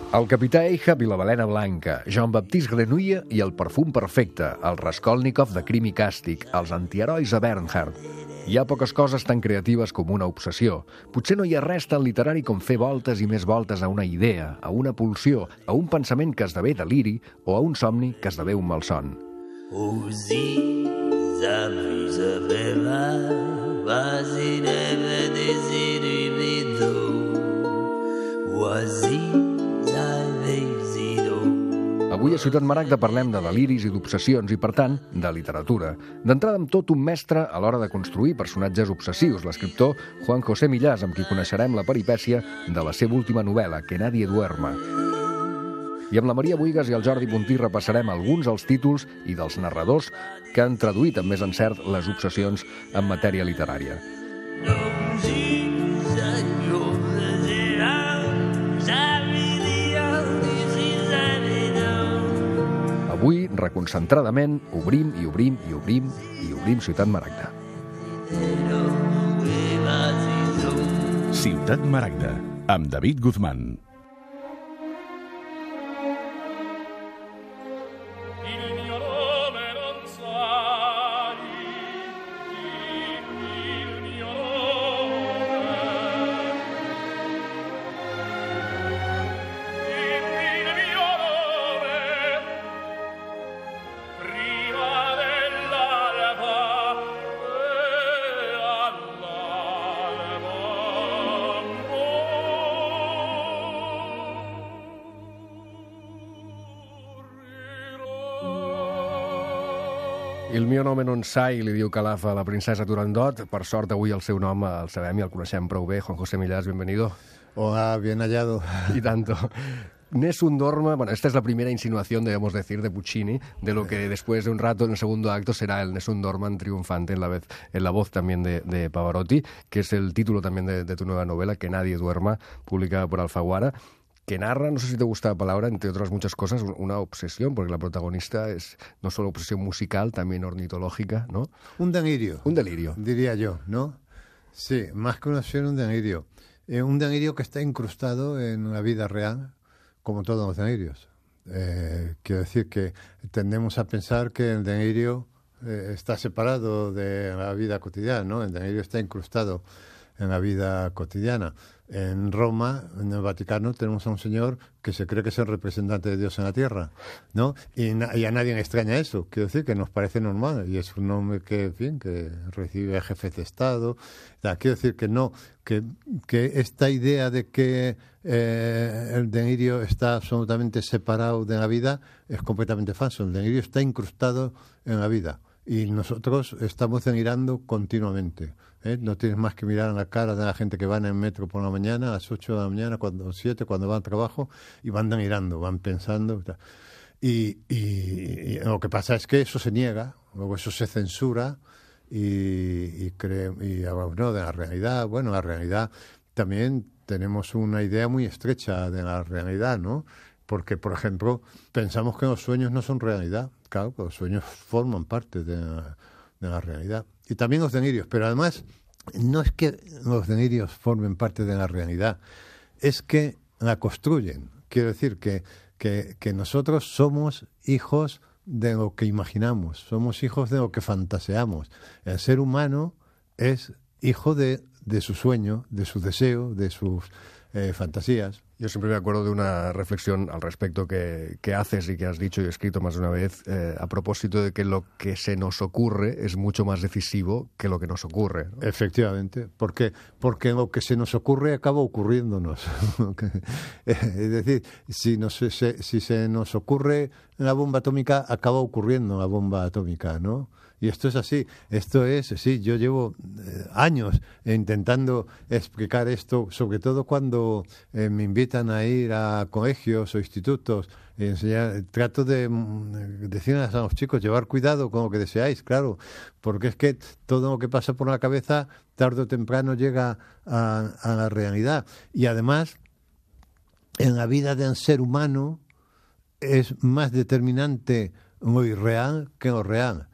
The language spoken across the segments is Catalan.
El capità Ahab i la balena blanca, Jean-Baptiste Grenouille i el perfum perfecte, el Raskolnikov de Crim i Càstig, els antiherois a Bernhard. Hi ha poques coses tan creatives com una obsessió. Potser no hi ha res tan literari com fer voltes i més voltes a una idea, a una pulsió, a un pensament que esdevé deliri o a un somni que esdevé un malson. Avui a Ciutat Maragda parlem de deliris i d'obsessions i, per tant, de literatura. D'entrada amb tot un mestre a l'hora de construir personatges obsessius, l'escriptor Juan José Millás, amb qui coneixerem la peripècia de la seva última novel·la, Que nadie duerma. I amb la Maria Buigas i el Jordi Puntí repassarem alguns dels títols i dels narradors que han traduït amb més encert les obsessions en matèria literària. Avui, reconcentradament, obrim i obrim i obrim i obrim Ciutat Maragda. Ciutat Maragda, amb David Guzmán. Il mio nome non sai, li diu Calaf a la princesa Turandot. Per sort, avui el seu nom el sabem i el coneixem prou bé. Juan José Millás, bienvenido. Hola, bien hallado. Y tanto. Nessun dorma, bueno, esta es la primera insinuación, debemos decir, de Puccini, de lo que después de un rato en el segundo acto será el Nessun Dorman triunfante en la voz también de Pavarotti, que es el título también de tu nueva novela, Que nadie duerma, publicada por Alfaguara, que narra, no sé si te gusta la palabra, entre otras muchas cosas, una obsesión, porque la protagonista es no solo obsesión musical, también ornitológica, ¿no? Un delirio. Un delirio. Diría yo, ¿no? Sí, más que una obsesión, un delirio. Un delirio que está incrustado en la vida real, como todos los delirios. Quiero decir que tendemos a pensar que el delirio está separado de la vida cotidiana, ¿no? El delirio está incrustado en la vida cotidiana. En Roma, en el Vaticano, tenemos a un señor que se cree que es el representante de Dios en la tierra, ¿no? Y a nadie le extraña eso. Quiero decir que nos parece normal y es un hombre que, en fin, que recibe jefes de Estado. Quiero decir que no, que esta idea de que el delirio está absolutamente separado de la vida es completamente falso. El delirio está incrustado en la vida. Y nosotros estamos delirando continuamente. No tienes más que mirar en la cara de la gente que va en el metro por la mañana, a las 8 de la mañana, a las 7, cuando van al trabajo, y van delirando, van pensando. Y lo que pasa es que eso se niega, luego eso se censura y hablamos, ¿no?, de la realidad. Bueno, la realidad también tenemos una idea muy estrecha de la realidad, ¿no? Porque, por ejemplo, pensamos que los sueños no son realidad. Claro, los sueños forman parte de la realidad. Y también los delirios. Pero además, no es que los delirios formen parte de la realidad, es que la construyen. Quiero decir que nosotros somos hijos de lo que imaginamos, somos hijos de lo que fantaseamos. El ser humano es hijo de su sueño, de su deseo, de sus fantasías. Yo siempre me acuerdo de una reflexión al respecto que haces y que has dicho y escrito más de una vez a propósito de que lo que se nos ocurre es mucho más decisivo que lo que nos ocurre, ¿no? Efectivamente, porque lo que se nos ocurre acaba ocurriéndonos. Es decir, si se nos ocurre la bomba atómica, acaba ocurriendo la bomba atómica, ¿no? Y esto es así, sí, yo llevo años intentando explicar esto, sobre todo cuando me invitan a ir a colegios o institutos y enseñar. Trato de decirles a los chicos, llevar cuidado con lo que deseáis, claro, porque es que todo lo que pasa por la cabeza, tarde o temprano llega a la realidad. Y además, en la vida del ser humano es más determinante lo irreal que lo real.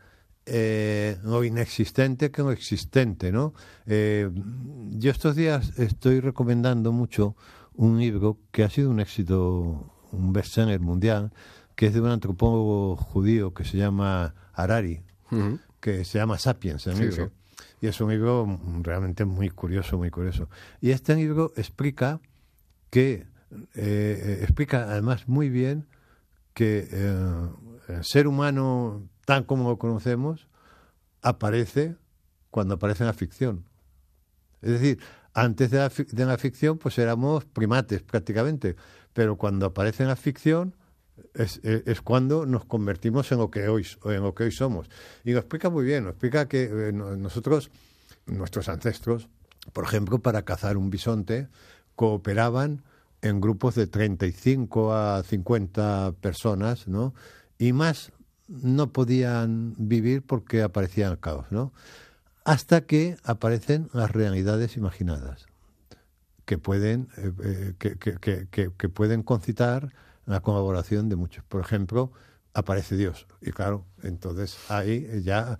Lo inexistente que lo existente, ¿no? Yo estos días estoy recomendando mucho un libro que ha sido un éxito, un bestseller mundial, que es de un antropólogo judío que se llama Harari, que se llama Sapiens, el libro. Sí. Y es un libro realmente muy curioso, muy curioso. Y este libro explica además muy bien que el ser humano, tal como lo conocemos, aparece cuando aparece en la ficción. Es decir, antes de la ficción, pues éramos primates prácticamente, pero cuando aparece en la ficción es cuando nos convertimos en lo que hoy somos. Y lo explica muy bien, lo explica que nosotros, nuestros ancestros, por ejemplo, para cazar un bisonte, cooperaban en grupos de 35 a 50 personas, ¿no? Y más no podían vivir porque aparecía el caos, ¿no? Hasta que aparecen las realidades imaginadas, que pueden pueden concitar la colaboración de muchos. Por ejemplo, aparece Dios. Y claro, entonces ahí ya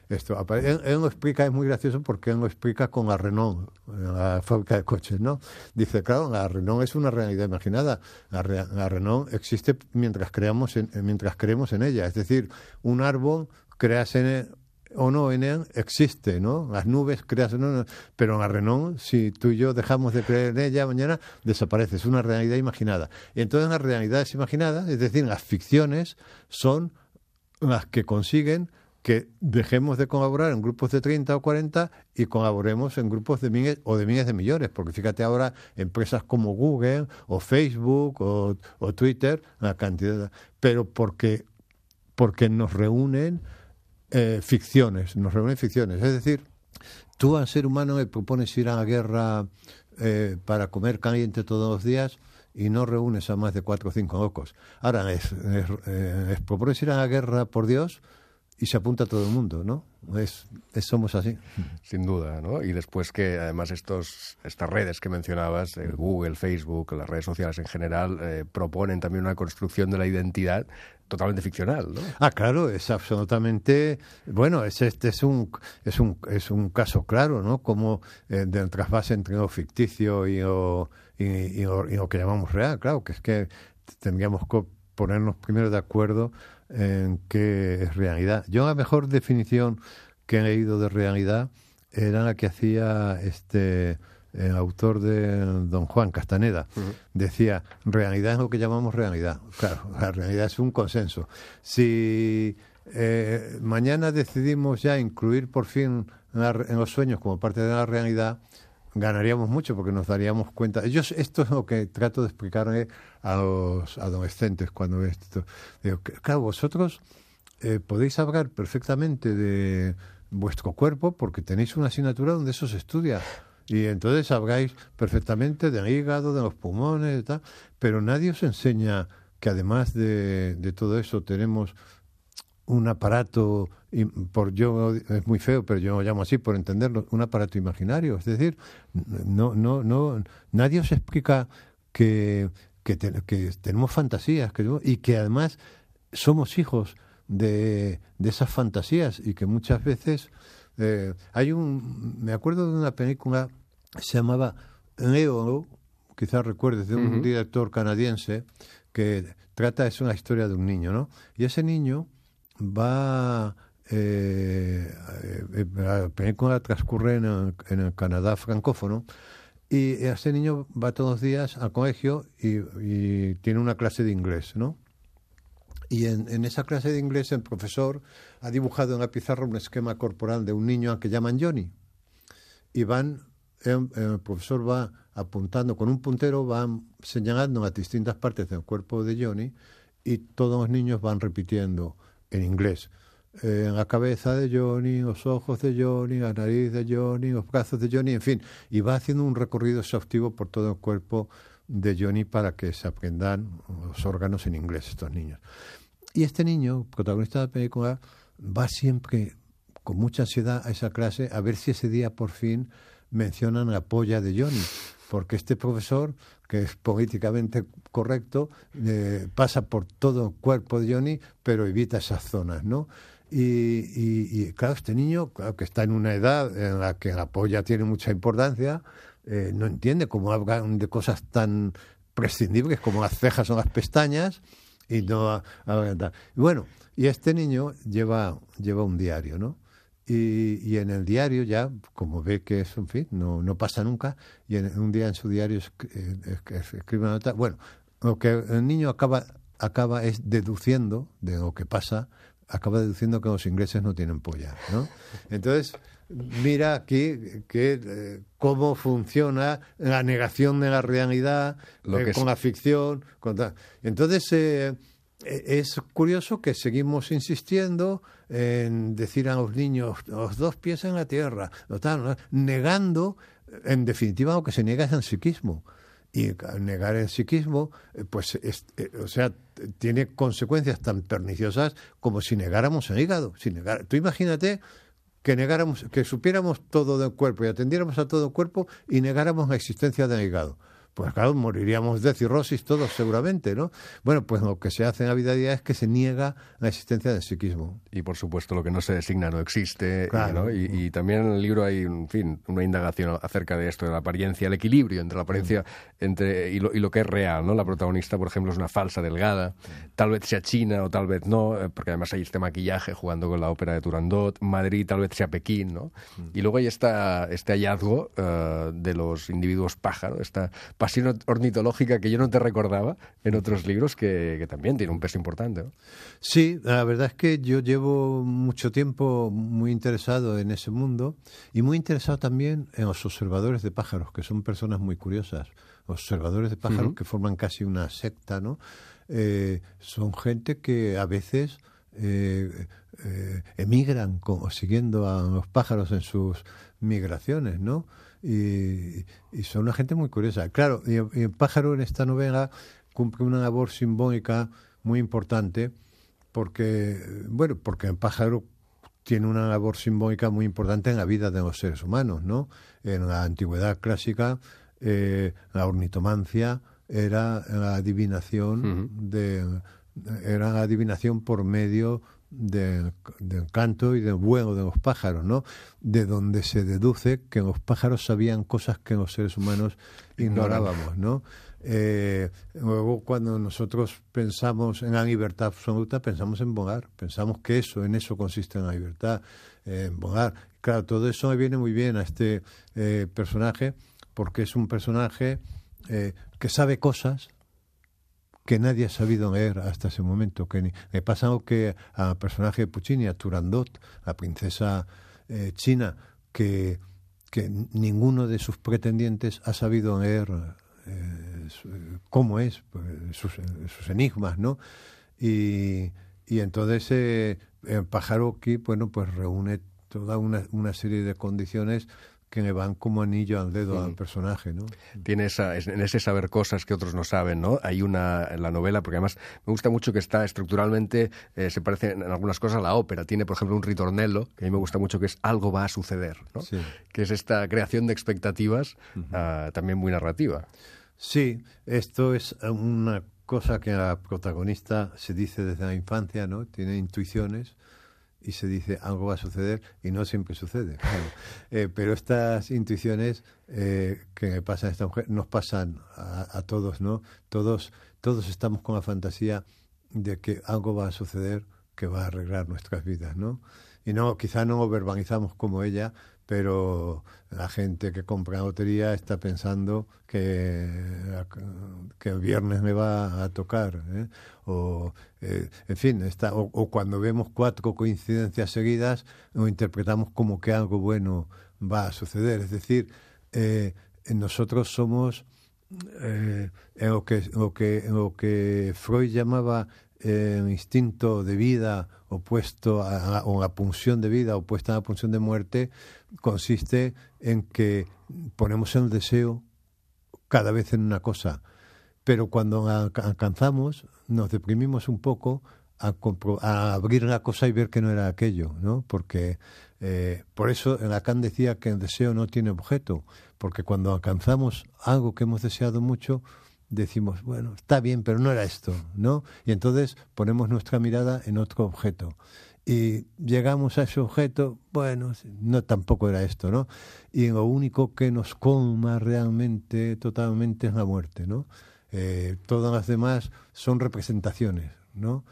esto aparece. Él lo explica, es muy gracioso porque él lo explica con la Renault, la fábrica de coches, ¿no? Dice, claro, la Renault es una realidad imaginada. La Renault existe mientras creemos en ella. Es decir, un árbol creas en él o no en él, existe, ¿no? Las nubes creas o no, pero en la Renault, si tú y yo dejamos de creer en ella, mañana desaparece, es una realidad imaginada. Y entonces las realidades imaginadas, es decir, las ficciones, son las que consiguen que dejemos de colaborar en grupos de 30 o 40 y colaboremos en grupos de miles o de miles de millones, porque fíjate ahora empresas como Google o Facebook o Twitter, la cantidad, pero porque nos reúnen ficciones, es decir, tú al ser humano le propones ir a la guerra para comer caliente todos los días y no reúnes a más de 4 o 5 locos. Ahora les propones ir a la guerra por Dios y se apunta todo el mundo, ¿no? Somos así. Sin duda, ¿no? Y después que además estas redes que mencionabas, Google, Facebook, las redes sociales en general, proponen también una construcción de la identidad totalmente ficcional, ¿no? Ah, claro, es absolutamente... Bueno, es un caso claro, ¿no? Como del trasvase entre lo ficticio y lo que llamamos real, claro, que es que tendríamos que ponernos primero de acuerdo en qué es realidad. Yo la mejor definición que he leído de realidad era la que hacía el autor de Don Juan Castaneda. Decía, realidad es lo que llamamos realidad. Claro, la realidad es un consenso. Si mañana decidimos ya incluir por fin en los sueños como parte de la realidad, ganaríamos mucho porque nos daríamos cuenta. Esto es lo que trato de explicarle a los adolescentes cuando ves esto. Digo, claro, vosotros podéis hablar perfectamente de vuestro cuerpo porque tenéis una asignatura donde eso se estudia. Y entonces habláis perfectamente del hígado, de los pulmones y tal, pero nadie os enseña que además de todo eso tenemos un aparato, es muy feo, pero yo lo llamo así por entenderlo, un aparato imaginario. Es decir, nadie os explica que tenemos fantasías y que además somos hijos de esas fantasías y que muchas veces me acuerdo de una película que se llamaba Leo, quizás recuerdes, de un director canadiense que es una historia de un niño, ¿no? Y ese niño va la película transcurre en el Canadá francófono y ese niño va todos los días al colegio y tiene una clase de inglés, ¿no? Y en esa clase de inglés el profesor ha dibujado en la pizarra un esquema corporal de un niño al que llaman Johnny. Y el profesor va apuntando con un puntero, va señalando las distintas partes del cuerpo de Johnny y todos los niños van repitiendo en inglés. La cabeza de Johnny, los ojos de Johnny, la nariz de Johnny, los brazos de Johnny, en fin. Y va haciendo un recorrido exhaustivo por todo el cuerpo de Johnny para que se aprendan los órganos en inglés estos niños. Y este niño, protagonista de la película, va siempre con mucha ansiedad a esa clase a ver si ese día por fin mencionan la polla de Johnny, porque este profesor, que es políticamente correcto, pasa por todo el cuerpo de Johnny, pero evita esas zonas, ¿no? Y claro, este niño, claro que está en una edad en la que la polla tiene mucha importancia, no entiende cómo hablan de cosas tan prescindibles como las cejas o las pestañas y no hablan tal. Bueno, y este niño lleva un diario, ¿no? Y en el diario ya, como ve que es, en fin, no pasa nunca, y un día en su diario escribe una nota. Bueno, lo que el niño acaba es deduciendo de lo que pasa, acaba deduciendo que los ingleses no tienen polla, ¿no? Entonces, mira aquí cómo funciona la negación de la realidad con la ficción. Entonces, es curioso que seguimos insistiendo en decir a los niños los dos pies en la tierra, negando, en definitiva, lo que se niega es el psiquismo. Y negar el psiquismo, pues, o sea, tiene consecuencias tan perniciosas como si negáramos el hígado. Tú imagínate que supiéramos todo del cuerpo y atendiéramos a todo el cuerpo y negáramos la existencia del hígado. Pues claro, moriríamos de cirrosis todos seguramente, ¿no? Bueno, pues lo que se hace en la vida diaria es que se niega la existencia del psiquismo. Y por supuesto lo que no se designa no existe. Claro. ¿No? Y también en el libro hay, en fin, una indagación acerca de esto, de la apariencia, el equilibrio entre la apariencia y lo que es real, ¿no? La protagonista, por ejemplo, es una falsa delgada, tal vez sea china o tal vez no, porque además hay este maquillaje jugando con la ópera de Turandot, Madrid tal vez sea Pekín, ¿no? Y luego hay este hallazgo de los individuos pájaro, esta pasión ornitológica que yo no te recordaba en otros libros, que también tiene un peso importante, ¿no? Sí, la verdad es que yo llevo mucho tiempo muy interesado en ese mundo y muy interesado también en los observadores de pájaros, que son personas muy curiosas. Observadores de pájaros que forman casi una secta, ¿no? Son gente que a veces emigran siguiendo a los pájaros en sus migraciones, ¿no? Y son una gente muy curiosa. Claro, y el pájaro en esta novela cumple una labor simbólica muy importante porque el pájaro tiene una labor simbólica muy importante en la vida de los seres humanos, ¿no? En la antigüedad clásica, la ornitomancia era la adivinación era la adivinación por medio del canto y del vuelo de los pájaros, ¿no? De donde se deduce que los pájaros sabían cosas que los seres humanos ignorábamos, ¿no? Luego, cuando nosotros pensamos en la libertad absoluta, pensamos en volar, pensamos que en eso consiste en la libertad, en volar. Claro, todo eso me viene muy bien a este personaje, porque es un personaje que sabe cosas que nadie ha sabido leer hasta ese momento. Me pasa lo que al personaje de Puccini, a Turandot, la princesa china, que ninguno de sus pretendientes ha sabido leer cómo es, pues, sus enigmas, ¿no? Y entonces el pájaro aquí, bueno, pues reúne toda una serie de condiciones que le van como anillo al dedo al personaje, ¿no? Tiene en ese saber cosas que otros no saben, ¿no? Hay una en la novela, porque además me gusta mucho que está estructuralmente, se parece en algunas cosas a la ópera. Tiene, por ejemplo, un ritornello, que a mí me gusta mucho, que es algo va a suceder, ¿no? Sí. Que es esta creación de expectativas también muy narrativa. Sí, esto es una cosa que la protagonista se dice desde la infancia, ¿no? Tiene intuiciones y se dice algo va a suceder y no siempre sucede, claro. Pero estas intuiciones que pasa a esta mujer nos pasan a todos, ¿no? Todos estamos con la fantasía de que algo va a suceder que va a arreglar nuestras vidas, ¿no? Y quizá no lo verbalizamos como ella, pero la gente que compra lotería está pensando que el viernes me va a tocar, ¿eh? En fin, o cuando vemos 4 coincidencias seguidas, lo interpretamos como que algo bueno va a suceder. Es decir, nosotros somos lo que Freud llamaba el instinto de vida opuesto o la pulsión de vida opuesta a la pulsión de muerte, consiste en que ponemos el deseo cada vez en una cosa, pero cuando la alcanzamos nos deprimimos un poco a abrir la cosa y ver que no era aquello, ¿no? Porque por eso Lacan decía que el deseo no tiene objeto, porque cuando alcanzamos algo que hemos deseado mucho, decimos, bueno, está bien, pero no era esto, ¿no? Y entonces ponemos nuestra mirada en otro objeto. Y llegamos a ese objeto, bueno, no tampoco era esto, ¿no? Y lo único que nos colma realmente, totalmente, es la muerte, ¿no? Todas las demás son representaciones, ¿no?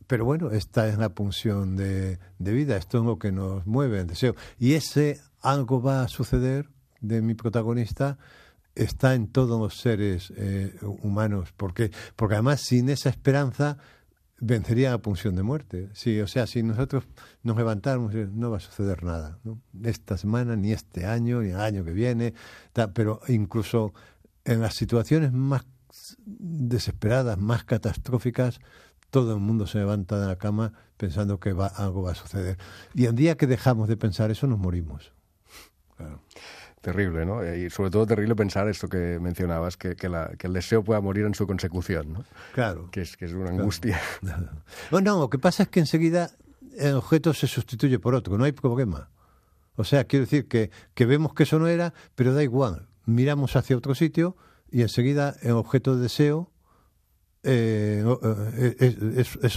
Pero bueno, esta es la pulsión de vida, esto es lo que nos mueve, el deseo. Y ese algo va a suceder de mi protagonista está en todos los seres humanos, porque además sin esa esperanza vencería la pulsión de muerte. Sí, o sea, si nosotros nos levantáramos, no va a suceder nada, ¿no? Esta semana, ni este año, ni el año que viene, pero incluso en las situaciones más desesperadas, más catastróficas, todo el mundo se levanta de la cama pensando que algo va a suceder. Y el día que dejamos de pensar eso, nos morimos. Claro. Terrible, ¿no? Y sobre todo terrible pensar esto que mencionabas, que el deseo pueda morir en su consecución, ¿no? Claro. Que es una angustia. No, lo que pasa es que enseguida el objeto se sustituye por otro, no hay problema. O sea, quiero decir que vemos que eso no era, pero da igual. Miramos hacia otro sitio y enseguida el objeto de deseo es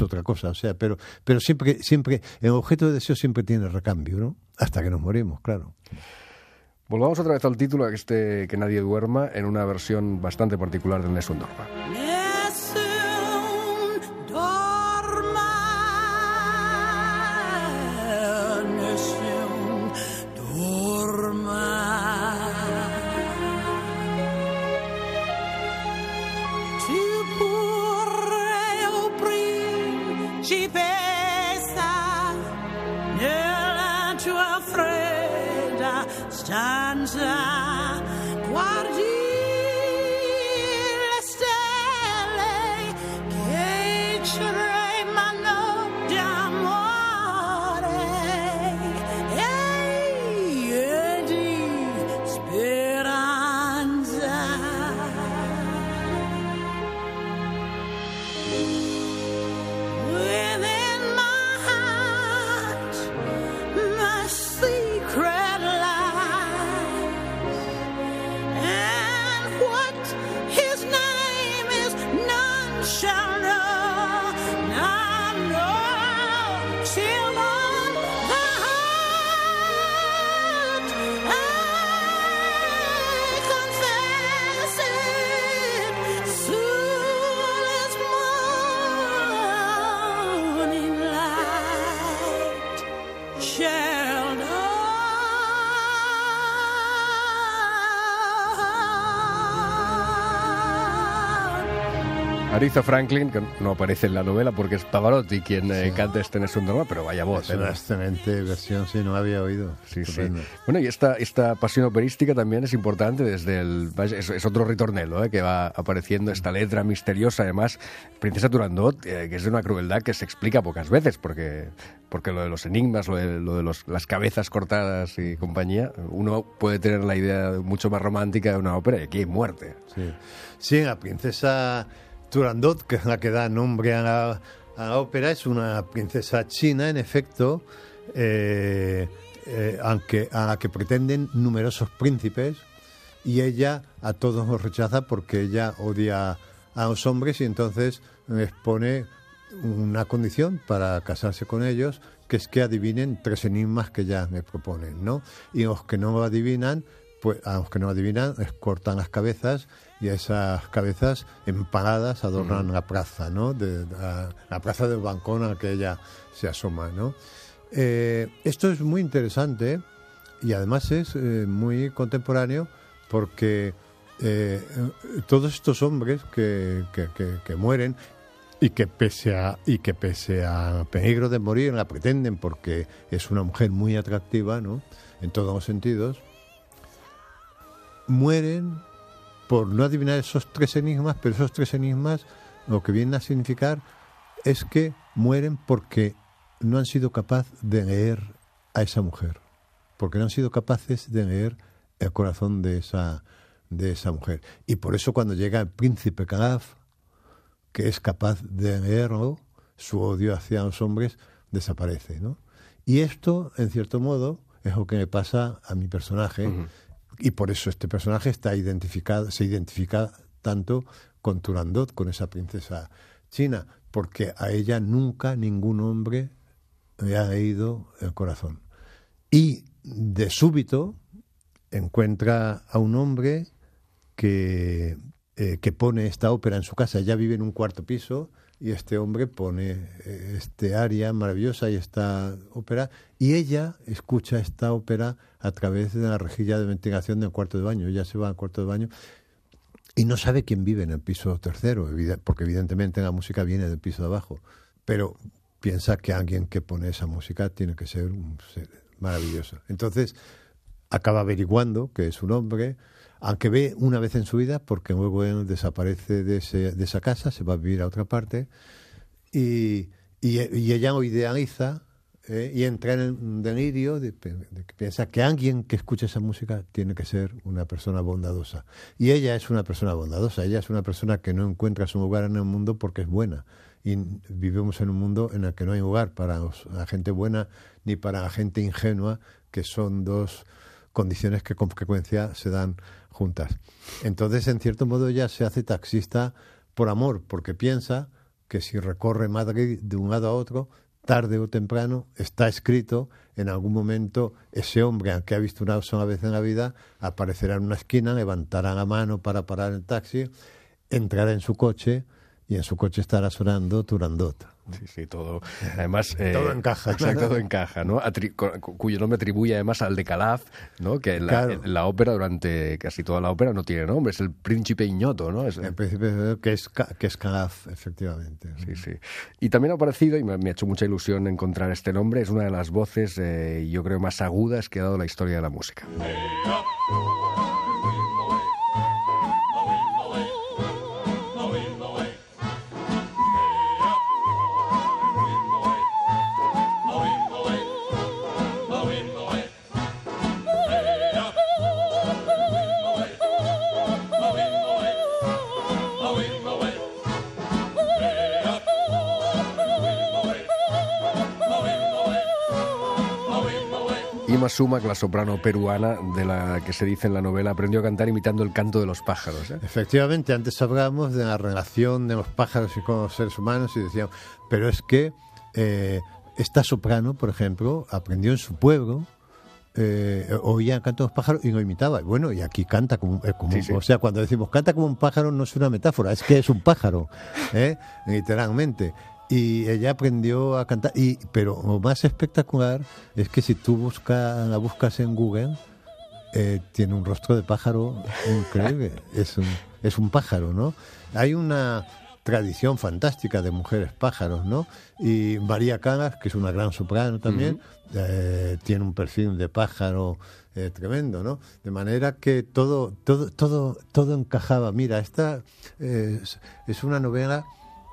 otra cosa. O sea, pero siempre el objeto de deseo siempre tiene recambio, ¿no? Hasta que nos morimos, claro. Volvamos otra vez al título, que nadie duerma, en una versión bastante particular del Nessun Dorma. Stanza, guardi le stelle che tremano d'amore e di speranza. Within my heart, my secret shall know, now know, till on the heart I confess it, soon as morning light shall know. Aretha Franklin, que no aparece en la novela porque es Pavarotti quien canta este Nessun Dorma, pero vaya voz. Es una excelente versión, sí, no había oído. Sí. Bueno, y esta pasión operística también es importante desde es otro ritornelo, que va apareciendo esta letra misteriosa, además, Princesa Turandot, que es de una crueldad que se explica pocas veces, porque lo de los enigmas, lo de las cabezas cortadas y compañía, uno puede tener la idea mucho más romántica de una ópera y aquí hay muerte. Sí, la princesa Turandot, que es la que da nombre a la ópera, es una princesa china, en efecto, aunque a la que pretenden numerosos príncipes, y ella a todos los rechaza porque ella odia a los hombres y entonces les pone una condición para casarse con ellos, que es que adivinen 3 enigmas que ya me proponen, ¿no? Y los que no adivinan, pues a los que no adivinan les cortan las cabezas y esas cabezas empaladas adornan la plaza, ¿no? La plaza del balcón al que ella se asoma, ¿no? Esto es muy interesante y además es muy contemporáneo porque todos estos hombres que mueren y que pese a peligro de morir la pretenden porque es una mujer muy atractiva, ¿no? En todos los sentidos, mueren por no adivinar esos 3 enigmas, pero esos 3 enigmas lo que vienen a significar es que mueren porque no han sido capaces de leer a esa mujer, porque no han sido capaces de leer el corazón de esa mujer. Y por eso cuando llega el príncipe Calaf, que es capaz de leerlo, su odio hacia los hombres desaparece, ¿no? Y esto, en cierto modo, es lo que me pasa a mi personaje. Uh-huh. Y por eso este personaje se identifica tanto con Turandot, con esa princesa china. porque a ella nunca ningún hombre le ha leído el corazón. Y de súbito encuentra a un hombre que pone esta ópera en su casa. Ella vive en un cuarto piso y este hombre pone este aria maravillosa y esta ópera, y ella escucha esta ópera a través de la rejilla de ventilación del cuarto de baño. Ella se va al cuarto de baño y no sabe quién vive en el piso tercero, porque evidentemente la música viene del piso de abajo, pero piensa que alguien que pone esa música tiene que ser un ser maravilloso. Entonces acaba averiguando que es un hombre, aunque ve una vez en su vida, porque luego él desaparece de esa casa, se va a vivir a otra parte, y ella lo idealiza y entra en un delirio de que piensa que alguien que escuche esa música tiene que ser una persona bondadosa. Y ella es una persona bondadosa, ella es una persona que no encuentra su lugar en el mundo porque es buena. Y vivimos en un mundo en el que no hay lugar para la gente buena ni para la gente ingenua, que son dos condiciones que con frecuencia se dan juntas. Entonces, en cierto modo, ella se hace taxista por amor, porque piensa que si recorre Madrid de un lado a otro, tarde o temprano, está escrito, en algún momento ese hombre al que ha visto una sola vez en la vida aparecerá en una esquina, levantará la mano para parar el taxi, entrará en su coche y en su coche estará sonando Turandot. Sí, todo. Además, todo encaja. Exacto, todo encaja, ¿no? Cuyo nombre atribuye además al de Calaf, ¿no? Que la ópera, durante casi toda la ópera, no tiene nombre, es el príncipe Ignoto, ¿no? El príncipe que es Calaf, efectivamente. Sí, sí. Y también ha aparecido, y me ha hecho mucha ilusión encontrar este nombre, es una de las voces, yo creo, más agudas que ha dado la historia de la música. Ima Sumac, la soprano peruana de la que se dice en la novela, aprendió a cantar imitando el canto de los pájaros. Efectivamente, antes hablábamos de la relación de los pájaros y con los seres humanos y decíamos, pero es que esta soprano, por ejemplo, aprendió en su pueblo, oía el canto de los pájaros y lo imitaba. Bueno, y aquí canta como sí. O sea, cuando decimos canta como un pájaro no es una metáfora, es que es un pájaro, literalmente. Y ella aprendió a cantar, pero lo más espectacular es que si tú la buscas en Google, tiene un rostro de pájaro increíble, es un pájaro, ¿no? Hay una tradición fantástica de mujeres pájaros, ¿no? Y María Callas, que es una gran soprano también, tiene un perfil de pájaro tremendo, ¿no? De manera que todo encajaba. Mira, esta es una novela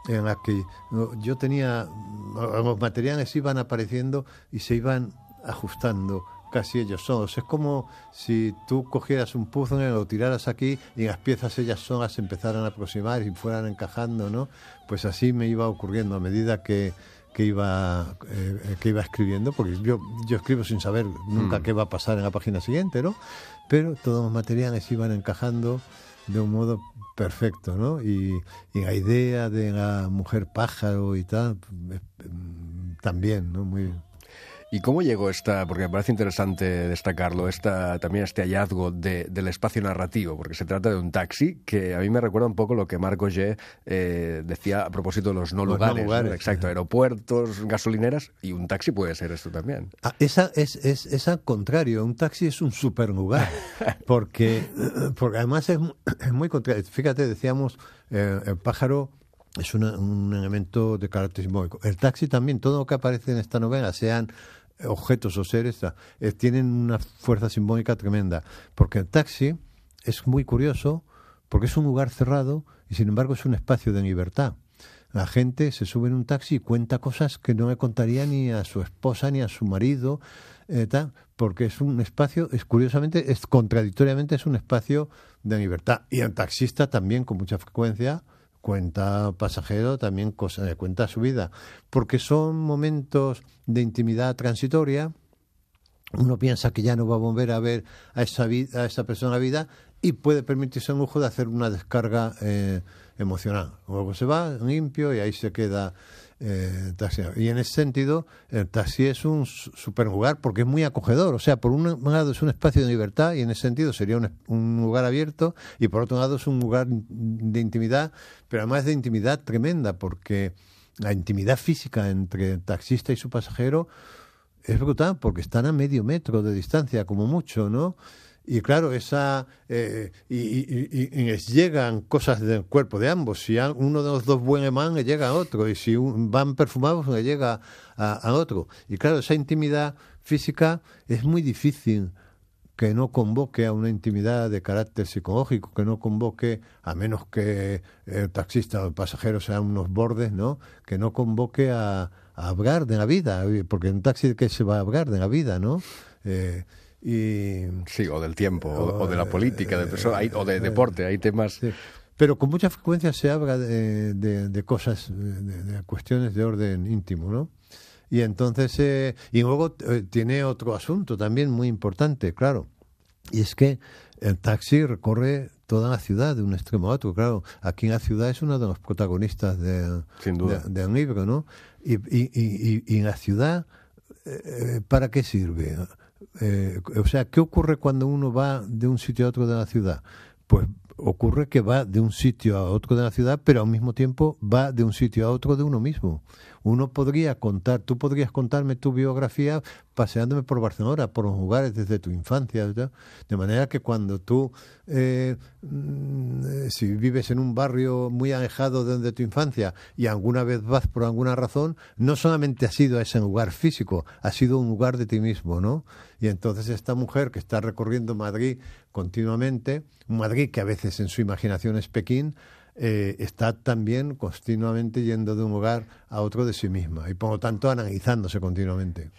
en la que yo tenía, los materiales iban apareciendo y se iban ajustando casi ellos solos. Es como si tú cogieras un puzzle, lo tiraras aquí y las piezas ellas solas se empezaran a aproximar y fueran encajando, ¿no? Pues así me iba ocurriendo a medida que iba escribiendo, porque yo escribo sin saber nunca qué va a pasar en la página siguiente, ¿no? Pero todos los materiales iban encajando de un modo perfecto, ¿no? Y la idea de la mujer pájaro y tal, también, ¿no? Muy... ¿Y cómo llegó porque me parece interesante destacarlo, también este hallazgo del espacio narrativo? Porque se trata de un taxi que a mí me recuerda un poco lo que Marc Augé decía a propósito de los no lugares. ¿no? Exacto, aeropuertos, gasolineras, y un taxi puede ser esto también. Es al contrario, un taxi es un superlugar, porque además es muy contrario. Fíjate, decíamos, el pájaro es un elemento de carácter simbólico. El taxi también, todo lo que aparece en esta novela, sean objetos o seres, tienen una fuerza simbólica tremenda, porque el taxi es muy curioso porque es un lugar cerrado y sin embargo es un espacio de libertad. La gente se sube en un taxi y cuenta cosas que no le contaría ni a su esposa ni a su marido, porque es un espacio, curiosamente, contradictoriamente es un espacio de libertad. Y el taxista también, con mucha frecuencia, cuenta pasajero, también cuenta su vida, porque son momentos de intimidad transitoria. Uno piensa que ya no va a volver a ver a esa persona en la vida y puede permitirse el lujo de hacer una descarga emocional. Luego se va limpio y ahí se queda el taxi. Y en ese sentido, el taxi es un super lugar porque es muy acogedor. O sea, por un lado es un espacio de libertad y en ese sentido sería un lugar abierto, y por otro lado es un lugar de intimidad, pero además de intimidad tremenda, porque la intimidad física entre el taxista y su pasajero es brutal, porque están a medio metro de distancia, como mucho, ¿no? Y claro, y les llegan cosas del cuerpo de ambos. Si uno de los dos huele mal, le llega a otro. Y si van perfumados, le llega a otro. Y claro, esa intimidad física es muy difícil que no convoque a una intimidad de carácter psicológico, que no convoque, a menos que el taxista o el pasajero sean unos bordes, ¿no? Que no convoque a hablar de la vida. Porque en un taxi, ¿de qué se va a hablar? De la vida, ¿no? Sí, o del tiempo, o de la política, o de deporte, hay temas... Sí. Pero con mucha frecuencia se habla de cosas, de cuestiones de orden íntimo, ¿no? Y entonces, y luego tiene otro asunto también muy importante, claro, y es que el taxi recorre toda la ciudad de un extremo a otro. Claro, aquí en la ciudad es uno de los protagonistas del libro, ¿no? Y en la ciudad, ¿para qué sirve? O sea, ¿qué ocurre cuando uno va de un sitio a otro de la ciudad? Pues ocurre que va de un sitio a otro de la ciudad, pero al mismo tiempo va de un sitio a otro de uno mismo. Tú podrías contarme tu biografía paseándome por Barcelona, por los lugares desde tu infancia, ¿verdad? De manera que cuando tú, si vives en un barrio muy alejado de tu infancia y alguna vez vas por alguna razón, no solamente ha sido ese lugar físico, ha sido un lugar de ti mismo, ¿no? Y entonces esta mujer que está recorriendo Madrid continuamente, Madrid que a veces en su imaginación es Pekín, está también continuamente yendo de un lugar a otro de sí misma y por lo tanto analizándose continuamente.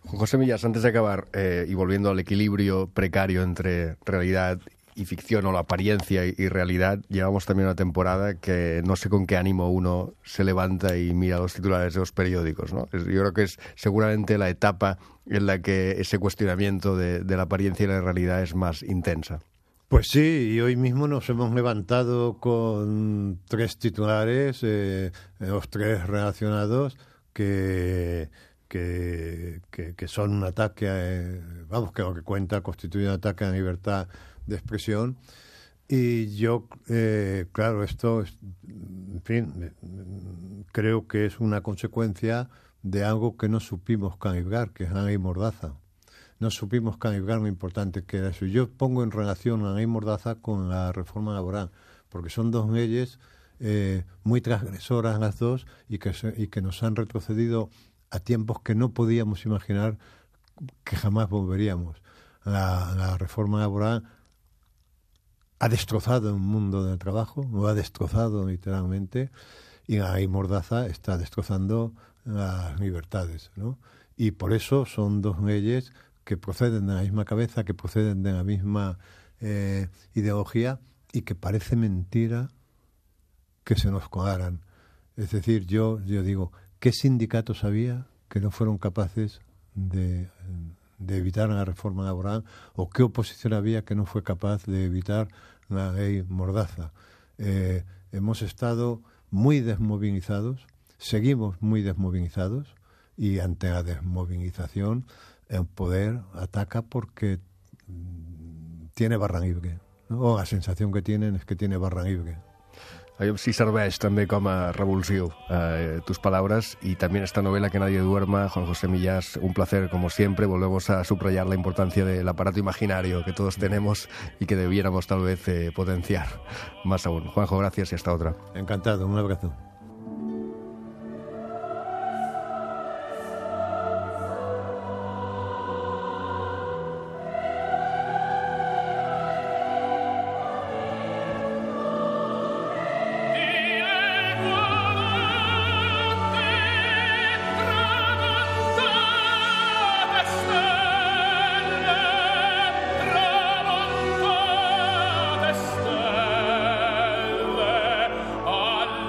Juan José Millás, antes de acabar, y volviendo al equilibrio precario entre realidad y ficción, o la apariencia y realidad, llevamos también una temporada que no sé con qué ánimo uno se levanta y mira los titulares de los periódicos, ¿no? Yo creo que es seguramente la etapa en la que ese cuestionamiento de la apariencia y la realidad es más intensa. Pues sí, y hoy mismo nos hemos levantado con 3 titulares, los 3 relacionados, que son un ataque, que lo que cuenta constituye un ataque a la libertad de expresión. Y yo, claro, esto, en fin, creo que es una consecuencia de algo que no supimos calibrar, que es la ley Mordaza. No supimos calibrar lo importante que era eso. Yo pongo en relación la ley Mordaza con la reforma laboral, porque son 2 leyes muy transgresoras las dos y que nos han retrocedido a tiempos que no podíamos imaginar que jamás volveríamos. La reforma laboral ha destrozado el mundo del trabajo, lo ha destrozado literalmente, y la ley Mordaza está destrozando las libertades, ¿no? Y por eso son 2 leyes que proceden de la misma cabeza, que proceden de la misma ideología, y que parece mentira que se nos colaran. Es decir, yo digo, ¿qué sindicatos había que no fueron capaces de evitar la reforma laboral? ¿O qué oposición había que no fue capaz de evitar la ley Mordaza? Hemos estado muy desmovilizados, seguimos muy desmovilizados, y ante la desmovilización el poder ataca porque tiene barra libre, ¿no? O la sensación que tienen es que tiene barra libre. Sí serveix també com a revulsiu tus palabras, y también esta novela Que nadie duerma. Juan José Millás, un placer como siempre. Volvemos a subrayar la importancia del aparato imaginario que todos tenemos y que debiéramos tal vez potenciar más aún. Juanjo, gracias y hasta otra. Encantado, un abrazo.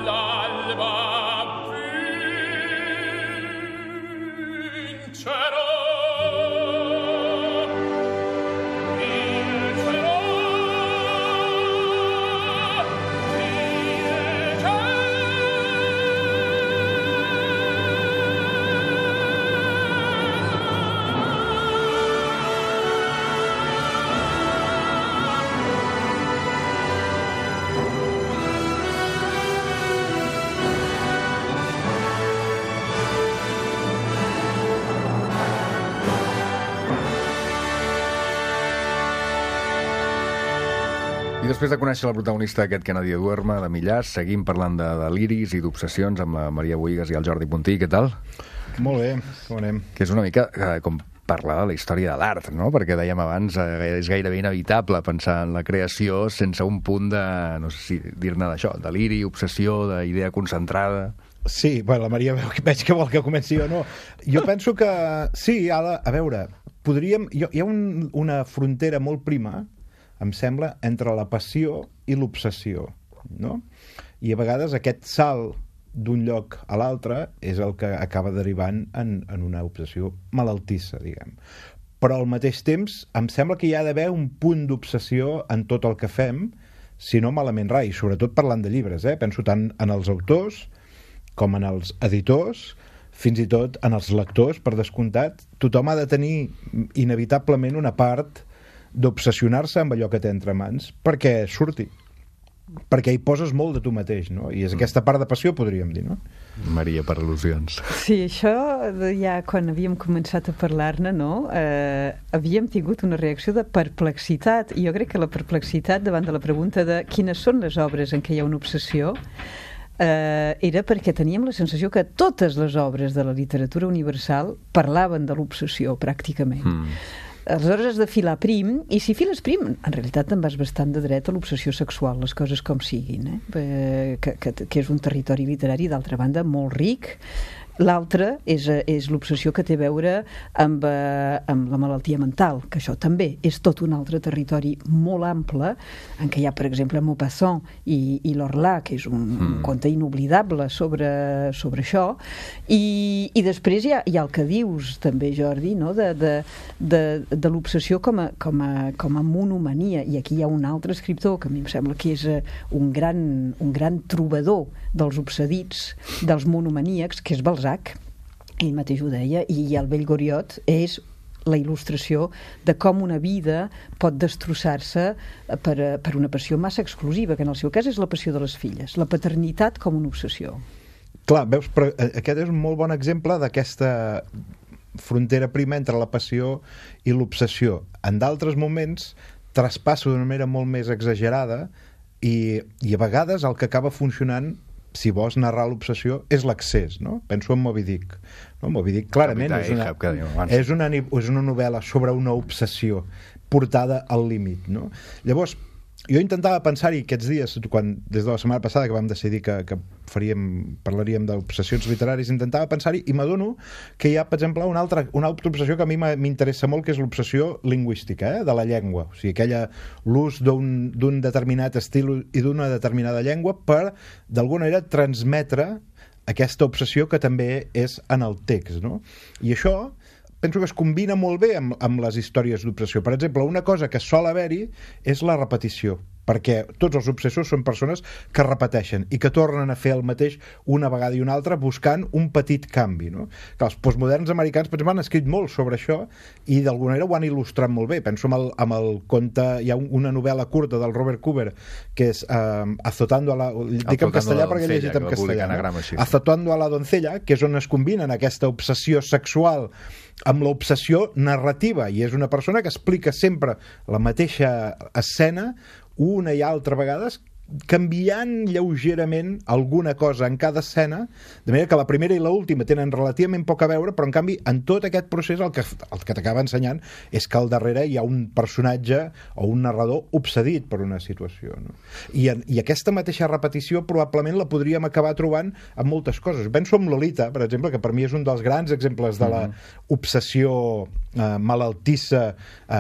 La després de conèixer la protagonista d'aquest Que nadie duerma, de Millàs, seguim parlant de deliris i d'obsessions amb la Maria Bohigas i el Jordi Puntí. Què tal? Molt bé, com anem? Que és una mica com parlar de la història de l'art, no? Perquè dèiem abans, és gairebé inevitable pensar en la creació sense un punt de, no sé si dir-ne d'això, deliri, obsessió, d'idea concentrada. Sí, bueno, la Maria veig que vol que comenci jo, no? Jo penso que sí, a veure, podríem... Hi ha una frontera molt prima, em sembla, entre la passió i l'obsessió, no? I a vegades aquest salt d'un lloc a l'altre és el que acaba derivant en una obsessió malaltissa, diguem. Però al mateix temps em sembla que hi ha d'haver un punt d'obsessió en tot el que fem, si no malament rai, sobretot parlant de llibres, penso tant en els autors com en els editors, fins i tot en els lectors, per descomptat. Tothom ha de tenir inevitablement una part d'obsessionar-se amb allò que té entre mans perquè surti, perquè hi poses molt de tu mateix, no? I és aquesta part de passió, podríem dir, no? Maria, per al·lusions. Sí, això ja quan havíem començat a parlar-ne, no? Havíem tingut una reacció de perplexitat, i jo crec que la perplexitat davant de la pregunta de quines són les obres en què hi ha una obsessió era perquè teníem la sensació que totes les obres de la literatura universal parlaven de l'obsessió, pràcticament. Aleshores has de filar prim, i si files prim, en realitat te'n vas bastant de dret a l'obsessió sexual, les coses com siguin, que és un territori literari, d'altra banda, molt ric. L'altre és l'obsessió que té a veure amb la malaltia mental, que això també és tot un altre territori molt ample, en què hi ha, per exemple, Maupassant i l'Orlà, que és un conte inoblidable sobre això, i després hi ha el que dius també, Jordi, no? de l'obsessió com a monomania, i aquí hi ha un altre escriptor que a mi em sembla que és un gran trobador dels obsedits, dels monomaníacs, que és Balzac. Ell mateix ho deia, i el vell Goriot és la il·lustració de com una vida pot destrossar-se per una passió massa exclusiva, que en el seu cas és la passió de les filles, la paternitat com una obsessió. Clar, veus, però aquest és un molt bon exemple d'aquesta frontera prima entre la passió i l'obsessió. En d'altres moments traspassa d'una manera molt més exagerada i a vegades el que acaba funcionant, si vols narrar l'obsessió, és l'accés, no? Penso en Moby Dick. No? Moby Dick clarament és una novel·la sobre una obsessió portada al límit, no? Llavors, jo intentava pensar-hi aquests dies, des de la setmana passada que vam decidir que parlaríem d'obsessions literaris, intentava pensar-hi i m'adono que hi ha, per exemple, una altra obsessió que a mi m'interessa molt, que és l'obsessió lingüística, de la llengua, o sigui, l'ús d'un determinat estil i d'una determinada llengua per, d'alguna manera, transmetre aquesta obsessió que també és en el text, no? I això penso que es combina molt bé amb les històries d'obsessió. Per exemple, una cosa que sol haver-hi és la repetició, perquè tots els obsessors són persones que repeteixen i que tornen a fer el mateix una vegada i una altra buscant un petit canvi, no? Que els postmoderns americans, per exemple, han escrit molt sobre això i d'alguna manera ho han il·lustrat molt bé. Penso amb el conte, hi ha una novel·la curta del Robert Cooper que és Azotando a la... Dic en castellà perquè he llegit en castellà. Azotando a la doncella, que és on es combinen aquesta obsessió sexual amb l'obsessió narrativa, i és una persona que explica sempre la mateixa escena una i altra vegades, canviant lleugerament alguna cosa en cada escena, de manera que la primera i l'última tenen relativament poc a veure, però en canvi en tot aquest procés el que t'acaba ensenyant és que al darrere hi ha un personatge o un narrador obsedit per una situació, no? I aquesta mateixa repetició probablement la podríem acabar trobant en moltes coses. Penso en Lolita, per exemple, que per mi és un dels grans exemples de la obsessió malaltissa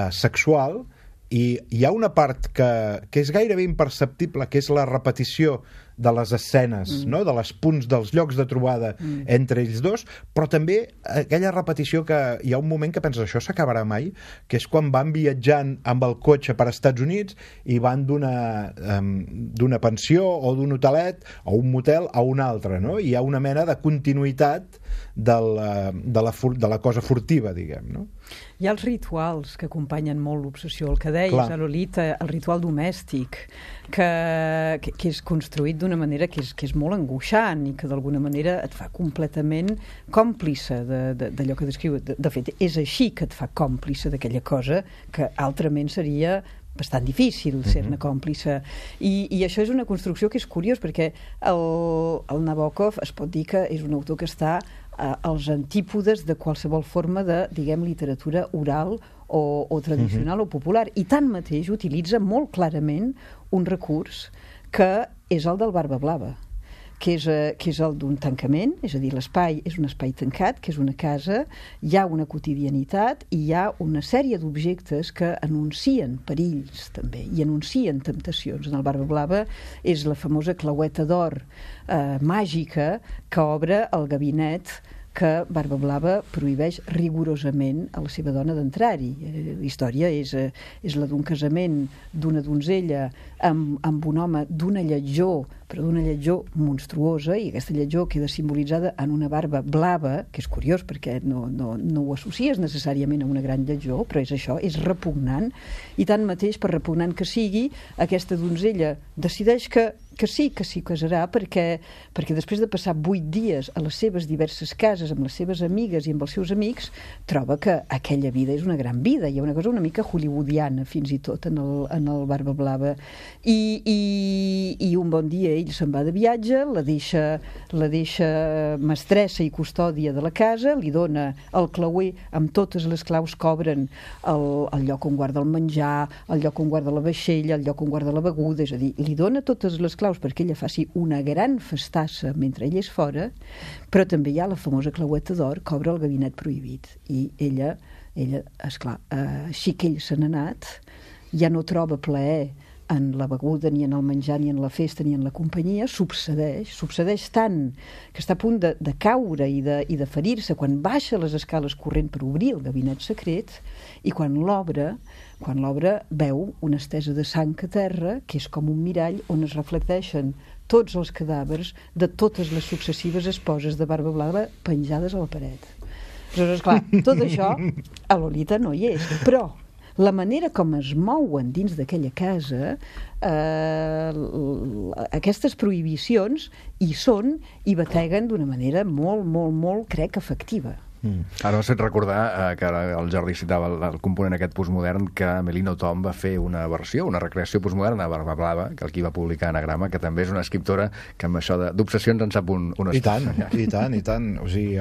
sexual. I hi ha una part que és gairebé imperceptible, que és la repetició de les escenes, no? De les punts, dels llocs de trobada entre ells dos, però també aquella repetició que hi ha un moment que penses això s'acabarà mai, que és quan van viatjant amb el cotxe per Estats Units i van d'una pensió o d'un hotelet o un motel a un altre, no? Hi ha una mena de continuïtat de la cosa furtiva, diguem, no? Hi ha els rituals que acompanyen molt l'obsessió, el que deies, a Lolita, el ritual domèstic, que és construït d'una manera que és molt angoixant i que d'alguna manera et fa completament còmplice d'allò que descriu. De fet, és així que et fa còmplice d'aquella cosa que altrament seria bastant difícil ser-ne còmplice. I això és una construcció que és curiós, perquè el Nabokov es pot dir que és un autor que està als antípodes de qualsevol forma de, diguem, literatura oral o tradicional o popular, i tanmateix utilitza molt clarament un recurs que és el del Barba Blava, que és el d'un tancament, és a dir, l'espai és un espai tancat, que és una casa, hi ha una quotidianitat i hi ha una sèrie d'objectes que anuncien perills també, i anuncien temptacions. En el Barba Blava és la famosa claueta d'or màgica que obre el gabinet que Barba Blava prohibeix rigorosament a la seva dona d'entrar-hi. La història és la d'un casament d'una donzella amb un home d'una lletjor, però d'una lletjor monstruosa, i aquesta lletjor queda simbolitzada en una barba blava, que és curiós perquè no ho associes necessàriament a una gran lletjor, però és això, és repugnant, i tanmateix, per repugnant que sigui, aquesta donzella decideix que sí casarà, perquè després de passar 8 dies a les seves diverses cases, amb les seves amigues i amb els seus amics, troba que aquella vida és una gran vida. Hi ha una cosa una mica hollywoodiana, fins i tot, en el Barba Blava. I un bon dia ell se'n va de viatge, la deixa mestressa i custòdia de la casa, li dona el clauer amb totes les claus que obren el lloc on guarda el menjar, el lloc on guarda la vaixella, el lloc on guarda la beguda, és a dir, li dona totes les claus perquè ella faci una gran festassa mentre ell és fora, però també hi ha la famosa claueta d'or que obre el gabinet prohibit, i ella esclar, així que ell se n'ha anat, ja no troba plaer en la beguda, ni en el menjar, ni en la festa, ni en la companyia, succeeix tant que està a punt de caure i de ferir-se quan baixa les escales corrent per obrir el gabinet secret, i quan l'obre veu una estesa de sang a terra, que és com un mirall on es reflecteixen tots els cadàvers de totes les successives esposes de Barba Blava penjades a la paret. Aleshores, clar, tot això a Lolita no hi és, però la manera com es mouen dins d'aquella casa, aquestes prohibicions hi són i bateguen d'una manera molt, molt, molt, crec, efectiva. Ara m'has fet recordar que el Jordi citava el component aquest postmodern, que Melino Tom va fer una versió, una recreació postmoderna de Barba Blava, que el qui va publicar Anagrama, que també és una escriptora que amb això d'obsessions en sap un I tant. O sigui,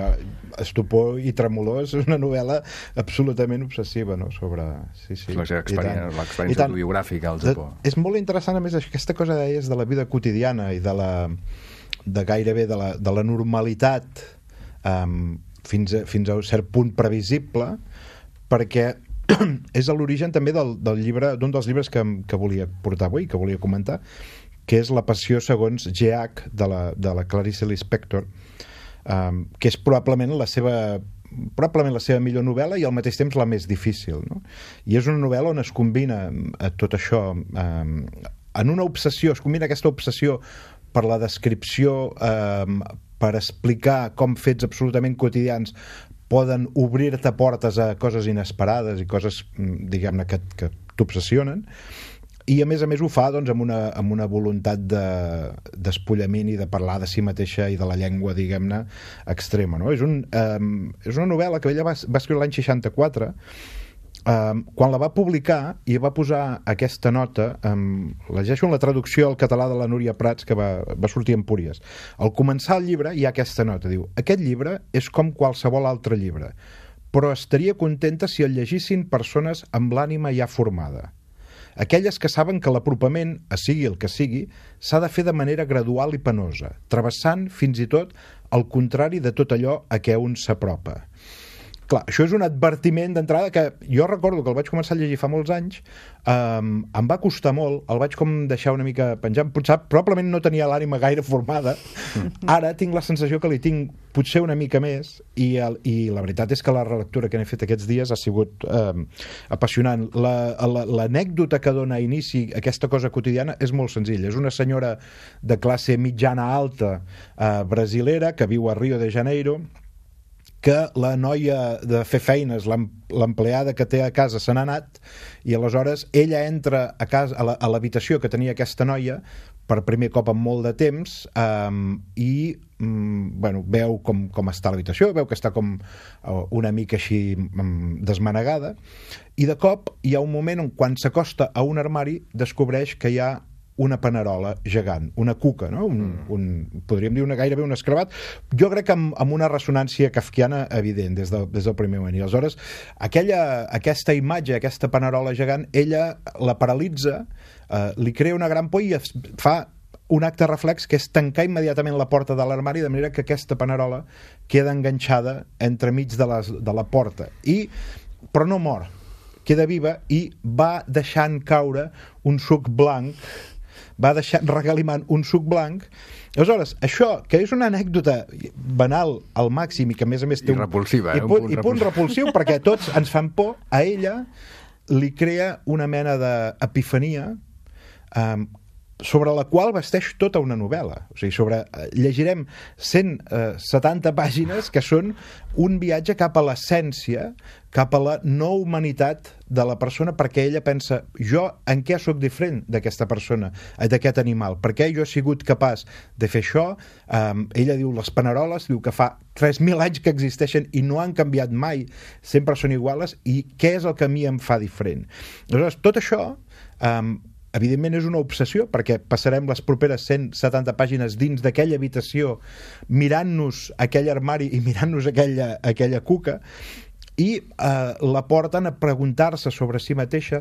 Estupor i Tremolor és una novel·la absolutament obsessiva, no? Sobre... Sí. L'experiència autobiogràfica al Japó. És molt interessant, a més, aquesta cosa deies de la vida quotidiana i de gairebé de la normalitat fins a un cert punt previsible, perquè és l'origen també d'un dels llibres que volia portar avui, que volia comentar, que és La passió segons G.H. de la Clarice Lispector, que és probablement la seva millor novel·la i al mateix temps la més difícil, no? I és una novel·la on es combina tot això en una obsessió, es combina aquesta obsessió per la descripció, per explicar com fets absolutament quotidians poden obrir-te portes a coses inesperades i coses, diguem-ne, que t'obsessionen, i a més ho fa doncs, amb una voluntat d'espollament i de parlar de si mateixa i de la llengua, diguem-ne, extrema, no? És una novel·la que ella va escriure l'any 64. Quan la va publicar i va posar aquesta nota, llegeixo en la traducció al català de la Núria Prats, que va sortir en Empúries. Al començar el llibre hi ha aquesta nota, diu: aquest llibre és com qualsevol altre llibre, però estaria contenta si el llegissin persones amb l'ànima ja formada, aquelles que saben que l'apropament, sigui el que sigui, s'ha de fer de manera gradual i penosa, travessant fins i tot el contrari de tot allò a què un s'apropa. Clar, això és un advertiment d'entrada que jo recordo que el vaig començar a llegir fa molts anys, em va costar molt, el vaig com deixar una mica penjant, probablement no tenia l'ànima gaire formada, ara tinc la sensació que li tinc potser una mica més, i la veritat és que la relectura que n'he fet aquests dies ha sigut apassionant. L'anècdota que dona inici a aquesta cosa quotidiana és molt senzilla. És una senyora de classe mitjana-alta brasilera que viu a Rio de Janeiro, que la noia de fer feines, l'empleada que té a casa, se n'ha anat, i aleshores ella entra a l'habitació que tenia aquesta noia per primer cop en molt de temps, i bueno, veu com està l'habitació, veu que està com una mica així desmanegada, i de cop hi ha un moment on quan s'acosta a un armari descobreix que hi ha una panerola gegant, una cuca, no? Podríem dir gairebé un escravat. Jo crec que amb una ressonància kafkiana evident des del primer moment. I aleshores aquesta imatge, aquesta panerola gegant, ella la paralitza, li crea una gran por i fa un acte reflex, que és tancar immediatament la porta de l'armari, de manera que aquesta panerola queda enganxada entremig de la porta. Però no mor, queda viva i va deixant caure un suc blanc, va regalimant un suc blanc. Aleshores, això, que és una anècdota banal al màxim i que a més té I repulsiva, i punt repulsiu, perquè tots ens fan por, a ella li crea una mena d'epifania sobre la qual vesteix tota una novel·la. O sigui, llegirem 170 pàgines que són un viatge cap a l'essència, cap a la no humanitat de la persona, perquè ella pensa, jo en què sóc diferent d'aquesta persona, d'aquest animal? Per què jo he sigut capaç de fer això? Ella diu les paneroles, diu que fa 3.000 anys que existeixen i no han canviat mai, sempre són iguales, i què és el que a mi em fa diferent? Aleshores, tot això evidentment és una obsessió, perquè passarem les properes 170 pàgines dins d'aquella habitació mirant-nos aquell armari i mirant-nos aquella cuca, i la porten a preguntar-se sobre si mateixa,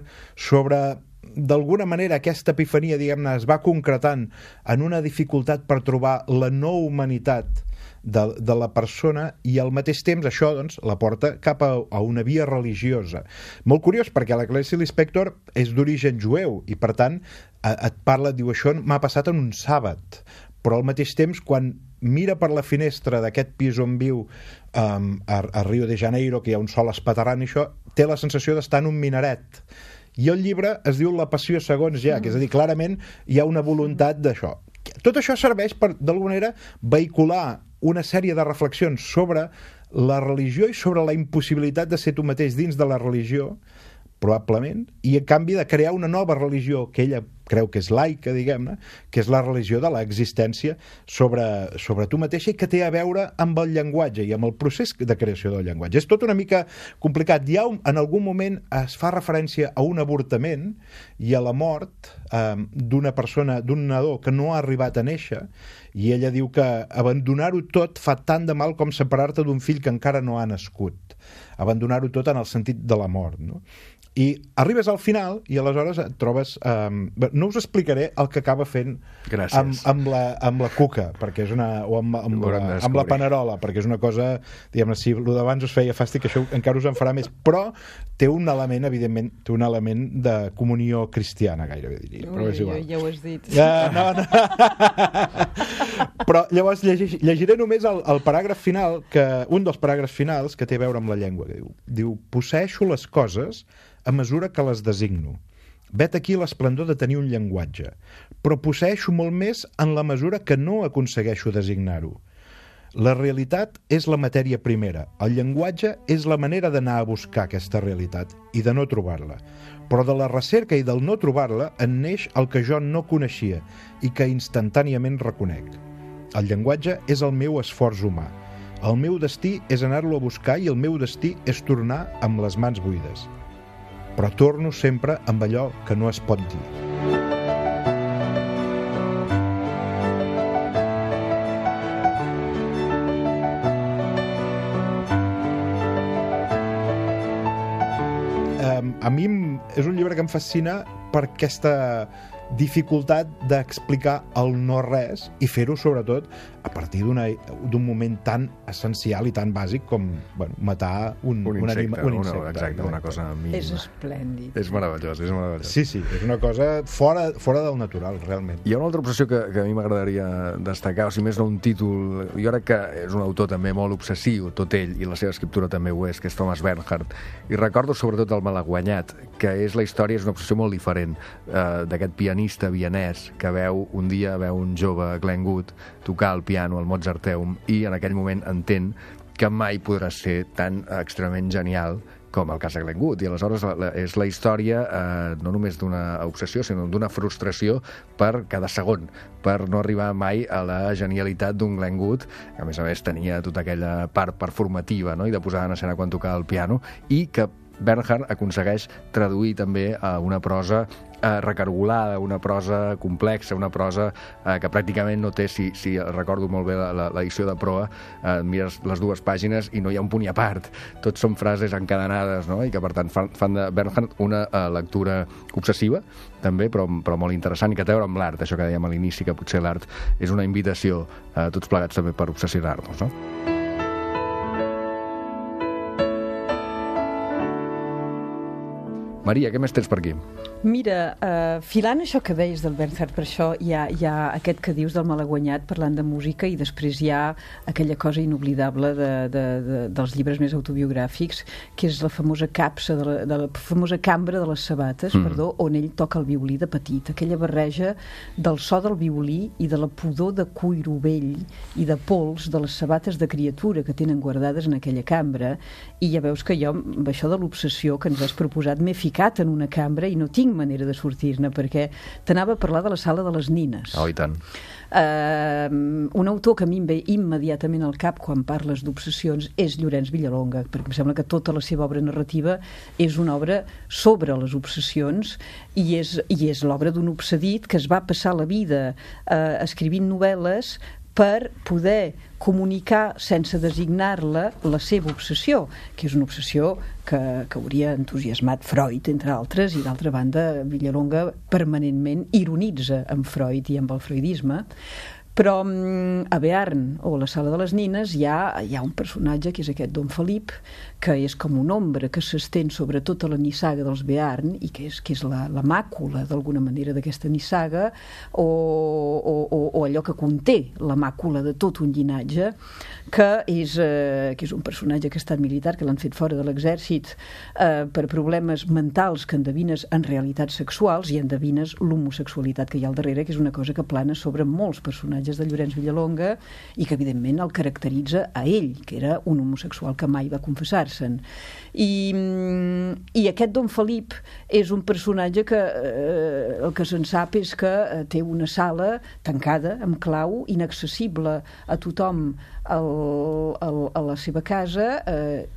d'alguna manera aquesta epifania, diguem-ne, es va concretant en una dificultat per trobar la no humanitat de la persona, i al mateix temps això doncs la porta cap a una via religiosa. Molt curiós, perquè la Clarice Lispector és d'origen jueu i per tant et parla, diu, això m'ha passat en un sàbat, però al mateix temps quan mira per la finestra d'aquest pis on viu a Rio de Janeiro, que hi ha un sol espaterrant i això, té la sensació d'estar en un minaret. I el llibre es diu La passió segons Jack, és a dir, clarament hi ha una voluntat d'això. Tot això serveix per, d'alguna manera, vehicular una sèrie de reflexions sobre la religió i sobre la impossibilitat de ser tu mateix dins de la religió, probablement, i en canvi de crear una nova religió que ella creu que és laica, diguem-ne, que és la religió de l'existència sobre tu mateixa i que té a veure amb el llenguatge i amb el procés de creació del llenguatge. És tot una mica complicat. Ja en algun moment es fa referència a un avortament i a la mort d'una persona, d'un nadó que no ha arribat a néixer, i ella diu que abandonar-ho tot fa tant de mal com separar-te d'un fill que encara no ha nascut. Abandonar-ho tot en el sentit de la mort, no? I arribes al final i aleshores et trobes no us explicaré el que acaba fent amb la cuca, perquè és amb la panerola, perquè és una cosa, diguem-ne, si el d'abans us feia fàstic, això encara us en farà més, però té un element, evidentment, té un element de comunió cristiana, gairebé diria, però és igual. Ja ho has dit. No. Però llavors llegiré només el paràgraf final, un dels paràgrafs finals que té a veure amb la llengua, que diu posseeixo les coses a mesura que les designo. Vet aquí l'esplendor de tenir un llenguatge, però posseeixo molt més en la mesura que no aconsegueixo designar-ho. La realitat és la matèria primera, el llenguatge és la manera d'anar a buscar aquesta realitat i de no trobar-la. Però de la recerca i del no trobar-la en neix el que jo no coneixia i que instantàniament reconec. El llenguatge és el meu esforç humà. El meu destí és anar-lo a buscar i el meu destí és tornar amb les mans buides. Però torno sempre amb allò que no es pot dir. A mi és un llibre que em fascina per aquesta dificultat d'explicar el no-res i fer-ho, sobretot, a partir d'un moment tan essencial i tan bàsic com matar un insecte. Exacte, una cosa mínima. És esplèndid. És meravellós, és meravellós. Sí, és una cosa fora del natural, realment. Hi ha una altra obsessió que a mi m'agradaria destacar, o si més no un títol, jo crec que és un autor també molt obsessiu, tot ell, i la seva escriptura també ho és, que és Thomas Bernhard. I recordo sobretot el Malaguanyat, que és la història, és una obsessió molt diferent, d'aquest pianista vienès que un dia veu un jove, Glenn Gould, tocar el piano al Mozarteum i en aquell moment entén que mai podrà ser tan extremament genial com el cas de Glenn Gould, i aleshores és la història no només d'una obsessió, sinó d'una frustració per cada segon, per no arribar mai a la genialitat d'un Glenn Gould, que a més tenia tota aquella part performativa, no?, i de posar en escena quan tocava el piano, i que Bernhardt aconsegueix traduir també a una prosa recargolada, una prosa complexa, una prosa que pràcticament no té, si recordo molt bé l'edició de proa, mires les dues pàgines i no hi ha un punt i a part. Tots són frases encadenades, no?, i que per tant fan de Bernhardt una lectura obsessiva, també, però molt interessant, i que té a veure amb l'art, això que dèiem a l'inici, que potser l'art és una invitació a tots plegats també per obsessionar-nos, no? Maria, què més tens per aquí? Mira, filant això que deies del Bernhardt, per això hi ha aquest que dius del malaguanyat parlant de música, i després hi ha aquella cosa inoblidable dels llibres més autobiogràfics, que és la famosa capsa, de la famosa cambra de les sabates, on ell toca el violí de petit, aquella barreja del so del violí i de la pudor de cuiro vell i de pols de les sabates de criatura que tenen guardades en aquella cambra, i ja veus que jo, amb això de l'obsessió que ens has proposat, m'he ficat en una cambra i no tinc manera de sortir-ne, perquè t'anava a parlar de la sala de les nines. Oh, i tant. Un autor que a mi em ve immediatament al cap quan parles d'obsessions és Llorenç Villalonga, perquè em sembla que tota la seva obra narrativa és una obra sobre les obsessions, i és l'obra d'un obsedit que es va passar la vida escrivint novel·les per poder comunicar sense designar-la la seva obsessió, que és una obsessió que hauria entusiasmat Freud, entre altres, i d'altra banda Villalonga permanentment ironitza amb Freud i amb el freudisme. Però a Bearn, o la sala de les nines, hi ha un personatge que és aquest Don Felip, que és com una ombra que s'estén sobre tota la nissaga dels Bearn, i que és la màcula d'alguna manera d'aquesta nissaga, o allò que conté la màcula de tot un llinatge, que és un personatge que ha estat militar, que l'han fet fora de l'exèrcit per problemes mentals, que endevines en realitats sexuals i endevines l'homosexualitat que hi ha al darrere, que és una cosa que plana sobre molts personatges de Llorenç Villalonga i que evidentment el caracteritza a ell, que era un homosexual que mai va confessar-se'n. I aquest Don Felip és un personatge que el que se'n sap és que té una sala tancada amb clau, inaccessible a tothom a la seva casa,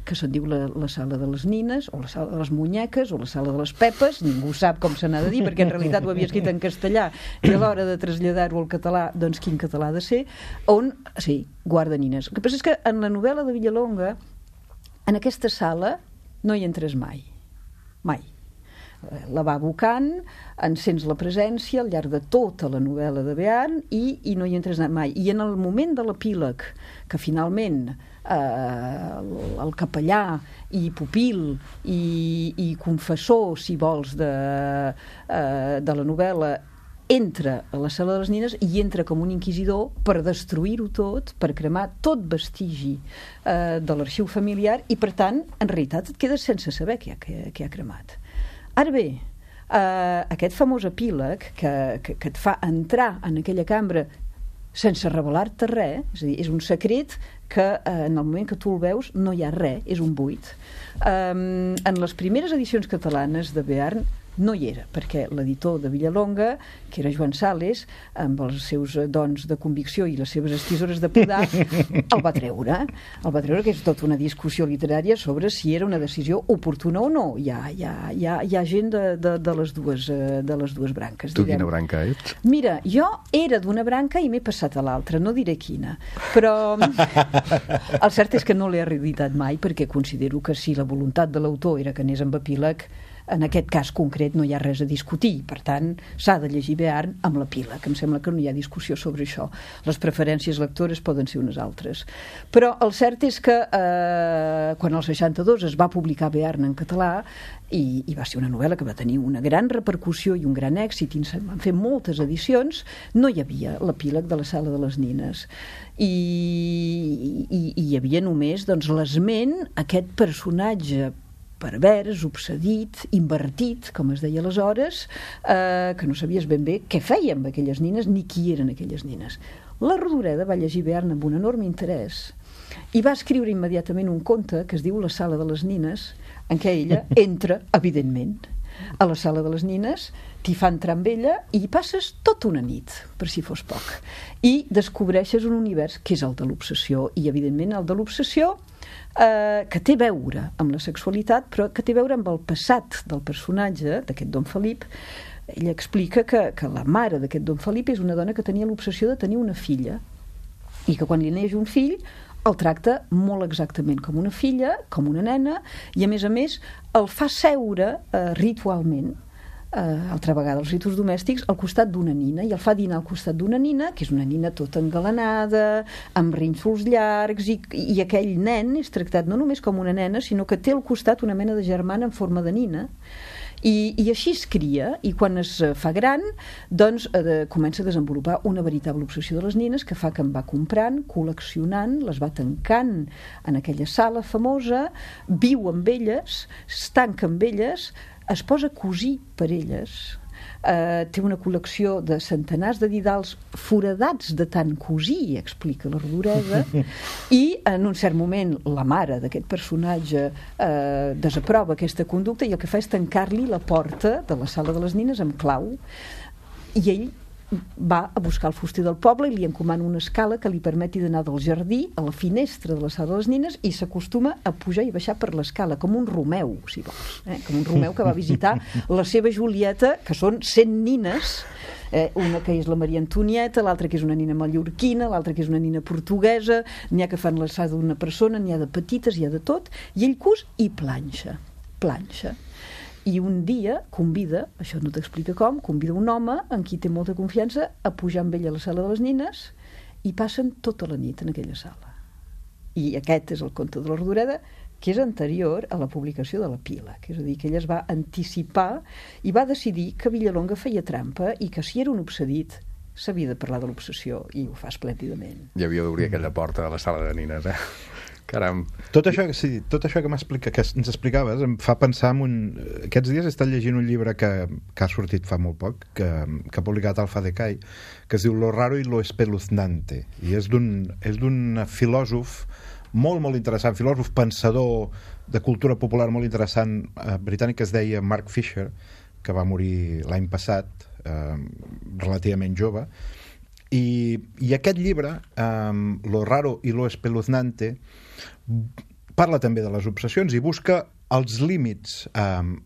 que se'n diu la sala de les nines, o la sala de les munyeques, o la sala de les pepes, ningú sap com se n'ha de dir, perquè en realitat ho havia escrit en castellà, i a l'hora de traslladar-ho al català, doncs quin català ha de ser, on, sí, guarda nines. El que passa és que en la novel·la de Villalonga, en aquesta sala no hi entres mai. La va abocant, en sents la presència al llarg de tota la novel·la de Bearn i no hi entres mai. I en el moment de l'epíleg, que finalment el capellà i pupil i confessor, si vols, de la novel·la entra a la sala de les nines i entra com un inquisidor per destruir-ho tot, per cremar tot vestigi de l'arxiu familiar, i per tant, en realitat et quedes sense saber què ha cremat. Ara bé, aquest famós epíleg que et fa entrar en aquella cambra sense revelar-te res, és a dir, és un secret que en el moment que tu el veus no hi ha res, és un buit. En les primeres edicions catalanes de Bearn no hi era, perquè l'editor de Villalonga, que era Joan Sales, amb els seus dons de convicció i les seves estisores de podar, el va treure, que és tota una discussió literària sobre si era una decisió oportuna o no. Hi ha gent de les dues branques. Tu quina branca ets? Mira, jo era d'una branca i m'he passat a l'altra, no diré quina, però el cert és que no l'he reeditat mai, perquè considero que si la voluntat de l'autor era que anés amb epíleg, en aquest cas concret no hi ha res a discutir, per tant s'ha de llegir Bearn amb l'epíleg, que em sembla que no hi ha discussió sobre això. Les preferències lectores poden ser unes altres, però el cert és que quan el 62 es va publicar Bearn en català, i va ser una novel·la que va tenir una gran repercussió i un gran èxit, i se'n van fer moltes edicions, no hi havia l'epíleg de la sala de les nines, i hi havia només l'esment, aquest personatge pervers, obsedit, invertit, com es deia aleshores, que no sabies ben bé què feia amb aquelles nines ni qui eren aquelles nines. La Rodoreda va llegir Bearn amb un enorme interès, i va escriure immediatament un conte que es diu La sala de les nines, en què ella entra, evidentment, a la sala de les nines, t'hi fa entrar amb ella i hi passes tota una nit, per si fos poc. I descobreixes un univers que és el de l'obsessió, i evidentment el de l'obsessió que té a veure amb la sexualitat, però que té a veure amb el passat del personatge, d'aquest Don Felip. Ella explica que la mare d'aquest Don Felip és una dona que tenia l'obsessió de tenir una filla, i que quan li neix un fill el tracta molt exactament com una filla, com una nena, i a més el fa seure ritualment, altra vegada els ritus domèstics, al costat d'una nina, i el fa dinar al costat d'una nina, que és una nina tota engalanada, amb rínxols llargs, i aquell nen és tractat no només com una nena, sinó que té al costat una mena de germana en forma de nina, i així es cria, i quan es fa gran doncs comença a desenvolupar una veritable obsessió de les nines, que fa que en va comprant, col·leccionant, les va tancant en aquella sala famosa, viu amb elles, es tanca amb elles, es posa a cosir per elles, té una col·lecció de centenars de didals foradats de tant cosir, explica la Rodoreda, i en un cert moment la mare d'aquest personatge desaprova aquesta conducta i el que fa és tancar-li la porta de la sala de les nines amb clau, i ell va a buscar el fuster del poble i li encomana una escala que li permeti d'anar del jardí a la finestra de la sala de les nines, i s'acostuma a pujar i baixar per l'escala, com un Romeu, si vols, com un Romeu que va visitar la seva Julieta, que són 100 nines, una que és la Maria Antonieta, l'altra que és una nina mallorquina, l'altra que és una nina portuguesa, n'hi ha que fan l'alçada d'una persona, n'hi ha de petites, hi ha de tot, i ell cus i planxa. I un dia convida, això no t'explica com, convida un home en qui té molta confiança a pujar amb ell a la sala de les nines, i passen tota la nit en aquella sala. I aquest és el conte de la Rodoreda, que és anterior a la publicació de la Pila, que és a dir, que ella es va anticipar i va decidir que Villalonga feia trampa i que si era un obsedit s'havia de parlar de l'obsessió, i ho fa esplèndidament. I havia d'obrir aquella porta de la sala de nines, Caram. Tot això que ens explicaves em fa pensar en Aquests dies he estat llegint un llibre que ha sortit fa molt poc, que ha publicat Alfa Decay, que es diu Lo raro y lo espeluznante, i és d'un filòsof molt interessant, filòsof pensador de cultura popular molt interessant, britànic, que es deia Mark Fisher, que va morir l'any passat, relativament jove, i aquest llibre, Lo raro y lo espeluznante, parla també de les obsessions i busca els límits en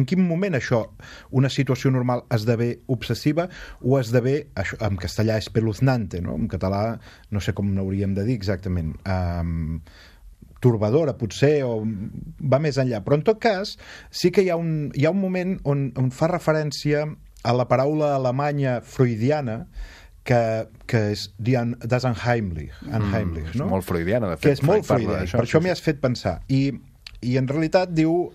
quin moment això, una situació normal, esdevé obsessiva o esdevé, això, en castellà, espeluznante, no? En català no sé com n'hauríem de dir exactament, torbadora potser, o va més enllà, però en tot cas sí que hi ha un moment on fa referència a la paraula alemanya freudiana que és das Unheimlich, no? És molt freudiana, de fet. Que és molt freudiana, per això m'hi has fet pensar. I en realitat diu,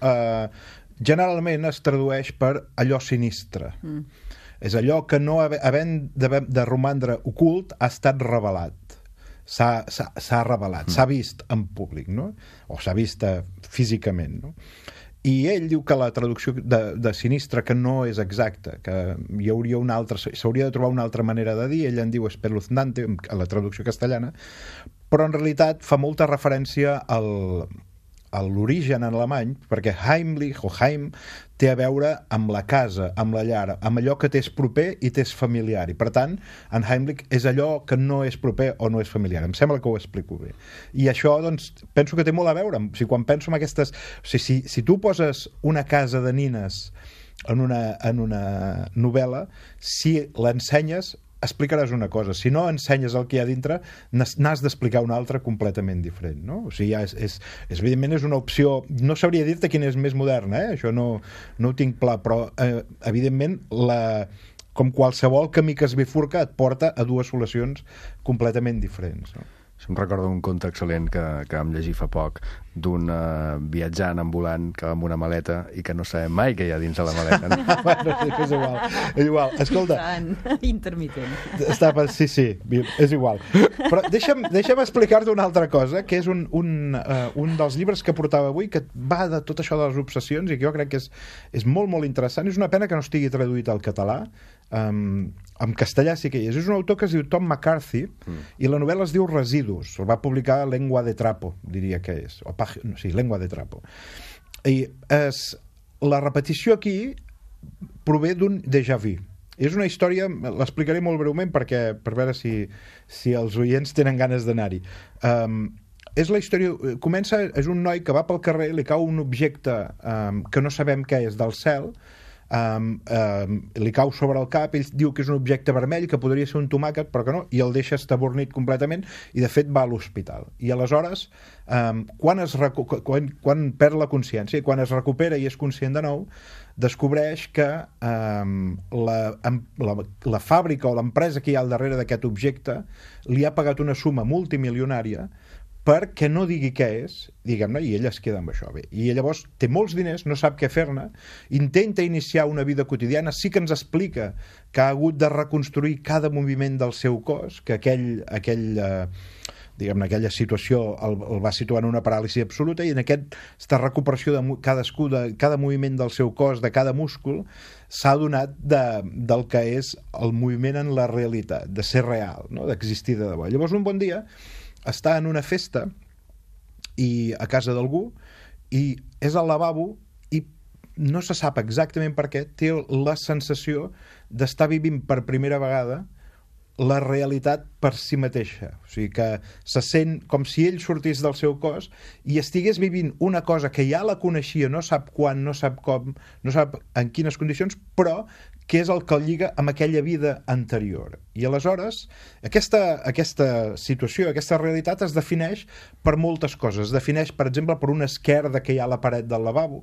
generalment es tradueix per allò sinistre. És allò que no havent de romandre ocult ha estat revelat. S'ha revelat, s'ha vist en públic, no? O s'ha vist físicament, no? I ell diu que la traducció de sinistre, que no és exacta, que hi hauria s'hauria de trobar una altra manera de dir, ell en diu espeluznante, a la traducció castellana, però en realitat fa molta referència a l'origen en alemany, perquè Heimlich o Heim té a veure amb la casa, amb la llar, amb allò que t'és proper i t'és familiar, i per tant en Heimlich és allò que no és proper o no és familiar. Em sembla que ho explico bé, i això doncs penso que té molt a veure. O sigui, quan penso en aquestes, o sigui, si tu poses una casa de nines en una novel·la, si l'ensenyes explicaràs una cosa, si no ensenyes el que hi ha dintre n'has d'explicar una altra completament diferent, no? O sigui, evidentment és una opció, no sabria dir-te quina és més moderna, això no ho tinc clar, però evidentment com qualsevol camí que es bifurca et porta a dues solucions completament diferents, no? Em recordo un conte excel·lent que vam llegir fa poc, d'un viatjant ambulant que va amb una maleta i que no sabem mai què hi ha dins de la maleta. No? Bueno, és igual. Escolta, intermitent. Sí, és igual. Però deixa'm explicar-te una altra cosa, que és un dels llibres que portava avui, que va de tot això de les obsessions i que jo crec que és molt interessant. És una pena que no estigui traduït al català. en castellà sí que hi és. És un autor que es diu Tom McCarthy i la novel·la es diu Residus. El va publicar Lengua de Trapo, diria que és. Lengua de Trapo. I la repetició aquí prové d'un déjà vu. És una història, l'explicaré molt breument per veure si els oients tenen ganes d'anar-hi. És la història, és un noi que va pel carrer, li cau un objecte que no sabem què és del cel, li cau sobre el cap, ell diu que és un objecte vermell, que podria ser un tomàquet, però que no, i el deixa estabornit completament, i de fet va a l'hospital. I aleshores, quan perd la consciència i quan es recupera i és conscient de nou, descobreix que la fàbrica o l'empresa que hi ha al darrere d'aquest objecte li ha pagat una suma multimilionària perquè no digui què és, diguem-ne, i ell es queda amb això. Bé, i llavors té molts diners, no sap què fer-ne, intenta iniciar una vida quotidiana, sí que ens explica que ha hagut de reconstruir cada moviment del seu cos, que aquella situació el va situar en una paràlisi absoluta, i en aquesta recuperació de cada moviment del seu cos, de cada múscul, s'ha adonat del que és el moviment en la realitat, de ser real, no? D'existir de debò. Llavors un bon dia està en una festa i a casa d'algú i és al lavabo i no se sap exactament per què té la sensació d'estar vivint per primera vegada la realitat per si mateixa, o sigui que se sent com si ell sortís del seu cos i estigués vivint una cosa que ja la coneixia, no sap quan, no sap com, no sap en quines condicions, però que és el que el lliga amb aquella vida anterior. I aleshores aquesta situació, aquesta realitat es defineix per moltes coses. Es defineix, per exemple, per una esquerda que hi ha a la paret del lavabo,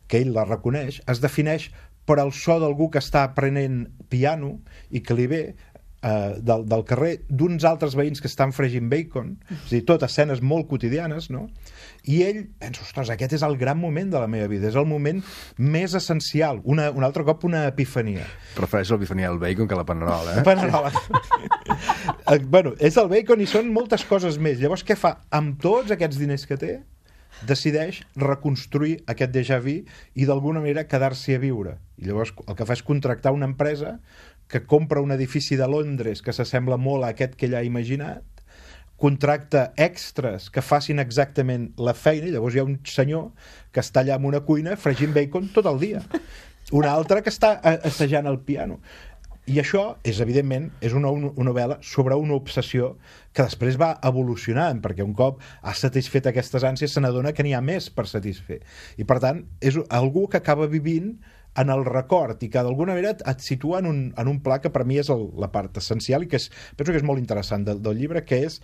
que ell la reconeix, es defineix per el so d'algú que està aprenent piano i que li ve del carrer, d'uns altres veïns que estan fregint bacon, és a dir, tot escenes molt quotidianes, no? I ell pensa, ostres, aquest és el gran moment de la meva vida, és el moment més essencial, un altre cop una epifania. Prefereixo l'epifania del bacon que la panerola, La panerola. Bueno, és el bacon i són moltes coses més. Llavors què fa? Amb tots aquests diners que té, decideix reconstruir aquest déjà vu i d'alguna manera quedar-s'hi a viure. I llavors el que fa és contractar una empresa que compra un edifici de Londres que s'assembla molt a aquest que ell ha imaginat, contracta extras que facin exactament la feina, i llavors hi ha un senyor que està allà en una cuina fregint bacon tot el dia, un altre que està assajant el piano. I això és, evidentment, és una novel·la sobre una obsessió que després va evolucionant, perquè un cop ha satisfet aquestes ànsies se n'adona que n'hi ha més per satisfer. I, per tant, és algú que acaba vivint en el record i que d'alguna manera et situa en un pla que per mi és la part essencial i que penso que és molt interessant del llibre, que és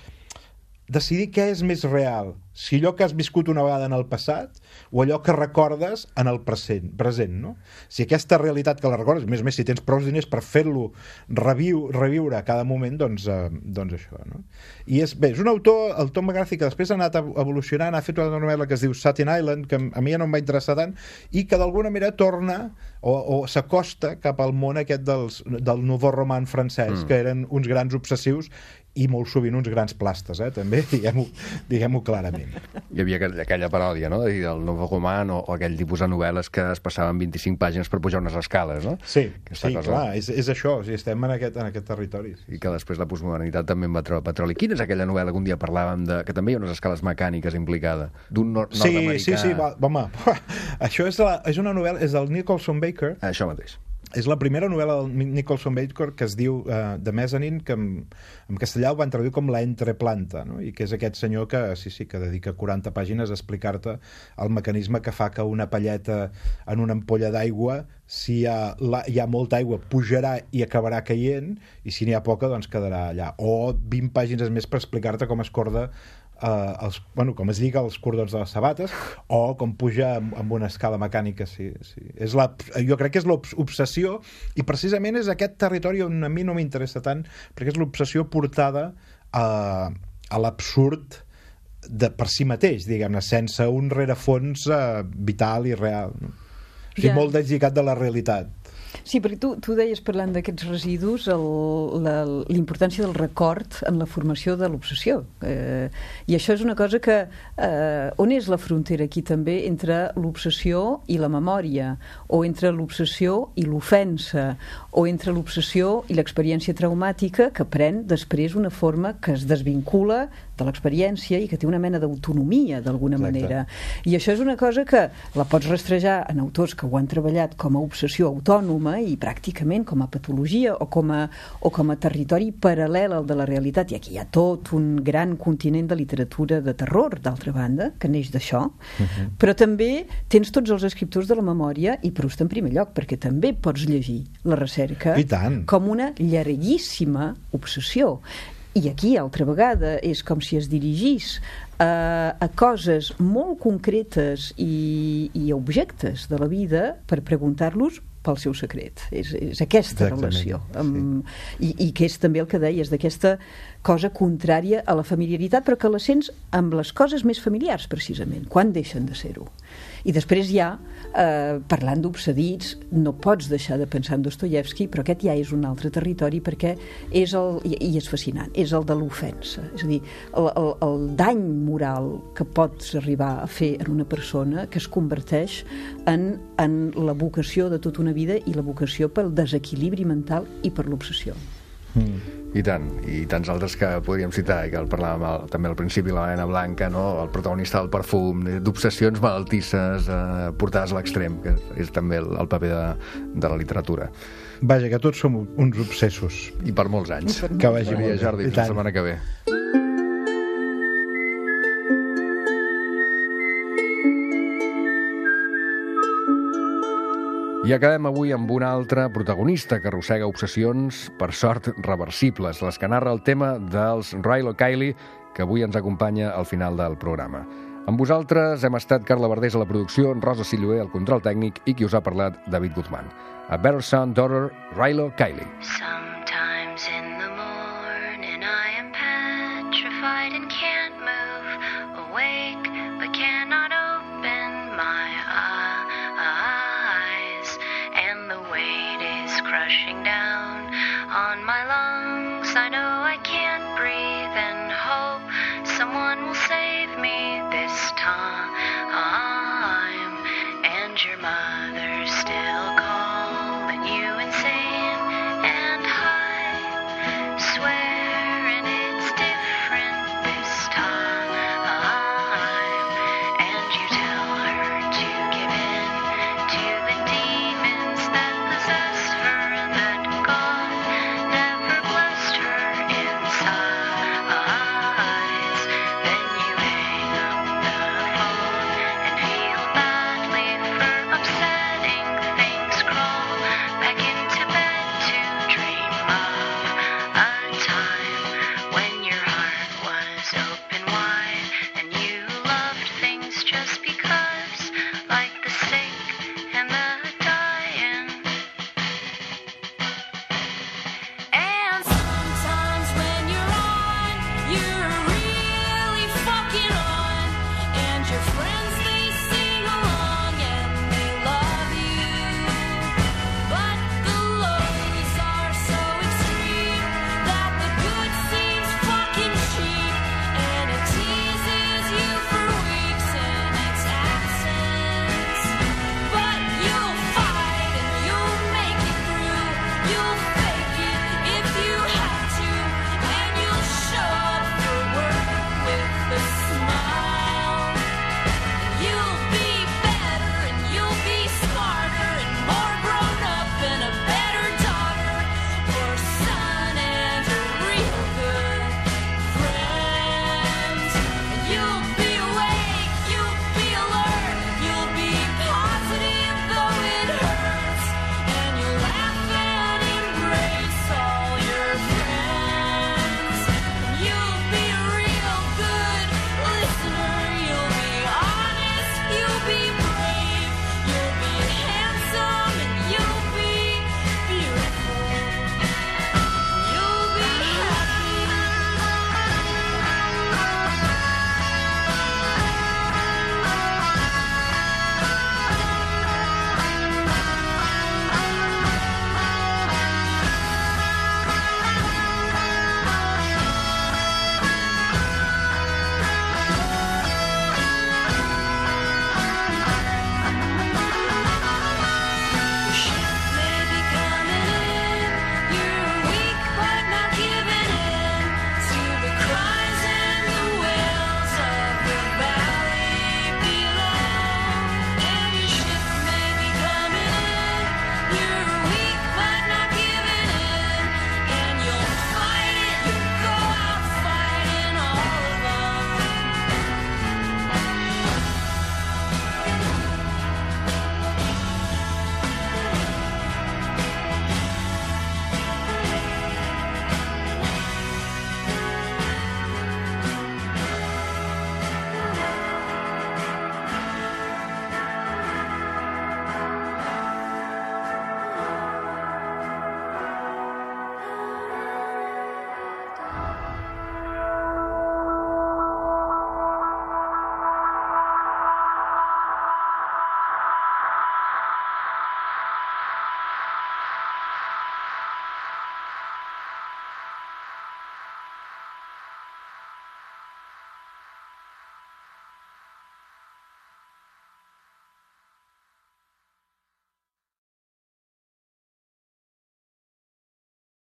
decidir què és més real, si allò que has viscut una vegada en el passat o allò que recordes en el present, no? Si aquesta realitat que la recordes, més si tens prou diners per fer-lo reviure a cada moment, doncs això, no? I és un autor, el Tom McCarthy, que després ha anat evolucionant, ha fet una novel·la que es diu Staten Island, que a mi ja no em va interessar tant, i que d'alguna manera torna o s'acosta cap al món aquest del nouveau roman francès, que eren uns grans obsessius i molt sovint uns grans plastes, també, diguem-ho clarament. Hi havia aquella paròdia, no?, del nouveau roman o aquell tipus de novel·les que es passaven 25 pàgines per pujar unes escales, no? Sí, clar, és això, estem en aquest territori. I que després la postmodernitat també en va treure petroli. Quina és aquella novel·la que un dia parlàvem que també hi ha unes escales mecàniques implicades, d'un nord-americà? Sí, home, això és una novel·la, és del Nicholson Baker. Això mateix. És la primera novel·la del Nicholson Baker que es diu The Mezzanine, que en castellà ho van traduir com La entreplanta, no? I que és aquest senyor que dedica 40 pàgines a explicar-te el mecanisme que fa que una palleta en una ampolla d'aigua, si hi ha molta aigua, pujarà i acabarà caient, i si n'hi ha poca, doncs quedarà allà. O 20 pàgines més per explicar-te com es corda com es lliga els cordons de les sabates o com puja amb una escala mecànica. Sí. Jo crec que és l'obsessió, i precisament és aquest territori on a mi no m'interessa tant, perquè és l'obsessió portada a l'absurd per si mateix, diguem-ne, sense un rerefons vital i real, no? O sigui, molt deslligat de la realitat. Sí, perquè tu deies, parlant d'aquests residus, l'importància del record en la formació de l'obsessió. I això és una cosa que... on és la frontera aquí també entre l'obsessió i la memòria, o entre l'obsessió i l'ofensa, o entre l'obsessió i l'experiència traumàtica que pren després una forma que es desvincula de l'experiència i que té una mena d'autonomia d'alguna manera. I això és una cosa que la pots rastrejar en autors que ho han treballat com a obsessió autònoma i pràcticament com a patologia o com a territori paral·lel al de la realitat. I aquí hi ha tot un gran continent de literatura de terror, d'altra banda, que neix d'això. Però també tens tots els escriptors de la memòria i Proust en primer lloc, perquè també pots llegir la recerca com una llarguíssima obsessió. I aquí, altra vegada, és com si es dirigís a coses molt concretes i objectes de la vida per preguntar-los pel seu secret. És aquesta relació. I que és també el que deies, d'aquesta cosa contrària a la familiaritat, però que la sents amb les coses més familiars, precisament, quan deixen de ser-ho. I després ja, parlant d'obsedits, no pots deixar de pensar en Dostoievski, però aquest ja és un altre territori perquè és i és fascinant, és el de l'ofensa. És a dir, el dany moral que pots arribar a fer en una persona que es converteix en la vocació de tota una vida i la vocació pel desequilibri mental i per l'obsessió. I tant, i tants altres que podríem citar, i que el parlàvem també al principi, la Helena Blanca, no? El protagonista del perfum, d'obsessions malaltisses portades a l'extrem, que és també el paper de la literatura. Vaja, que tots som uns obsessos. I per molts anys. Que vagi molt bé. Jordi, fins la setmana que ve. I acabem avui amb un altre protagonista que arrossega obsessions, per sort, reversibles, les que narra el tema dels Rilo Kiley, que avui ens acompanya al final del programa. Amb vosaltres hem estat Carla Verdés a la producció, Rosa Silloé al control tècnic i qui us ha parlat, David Guzmán. A Better Son, Daughter, Rilo Kiley.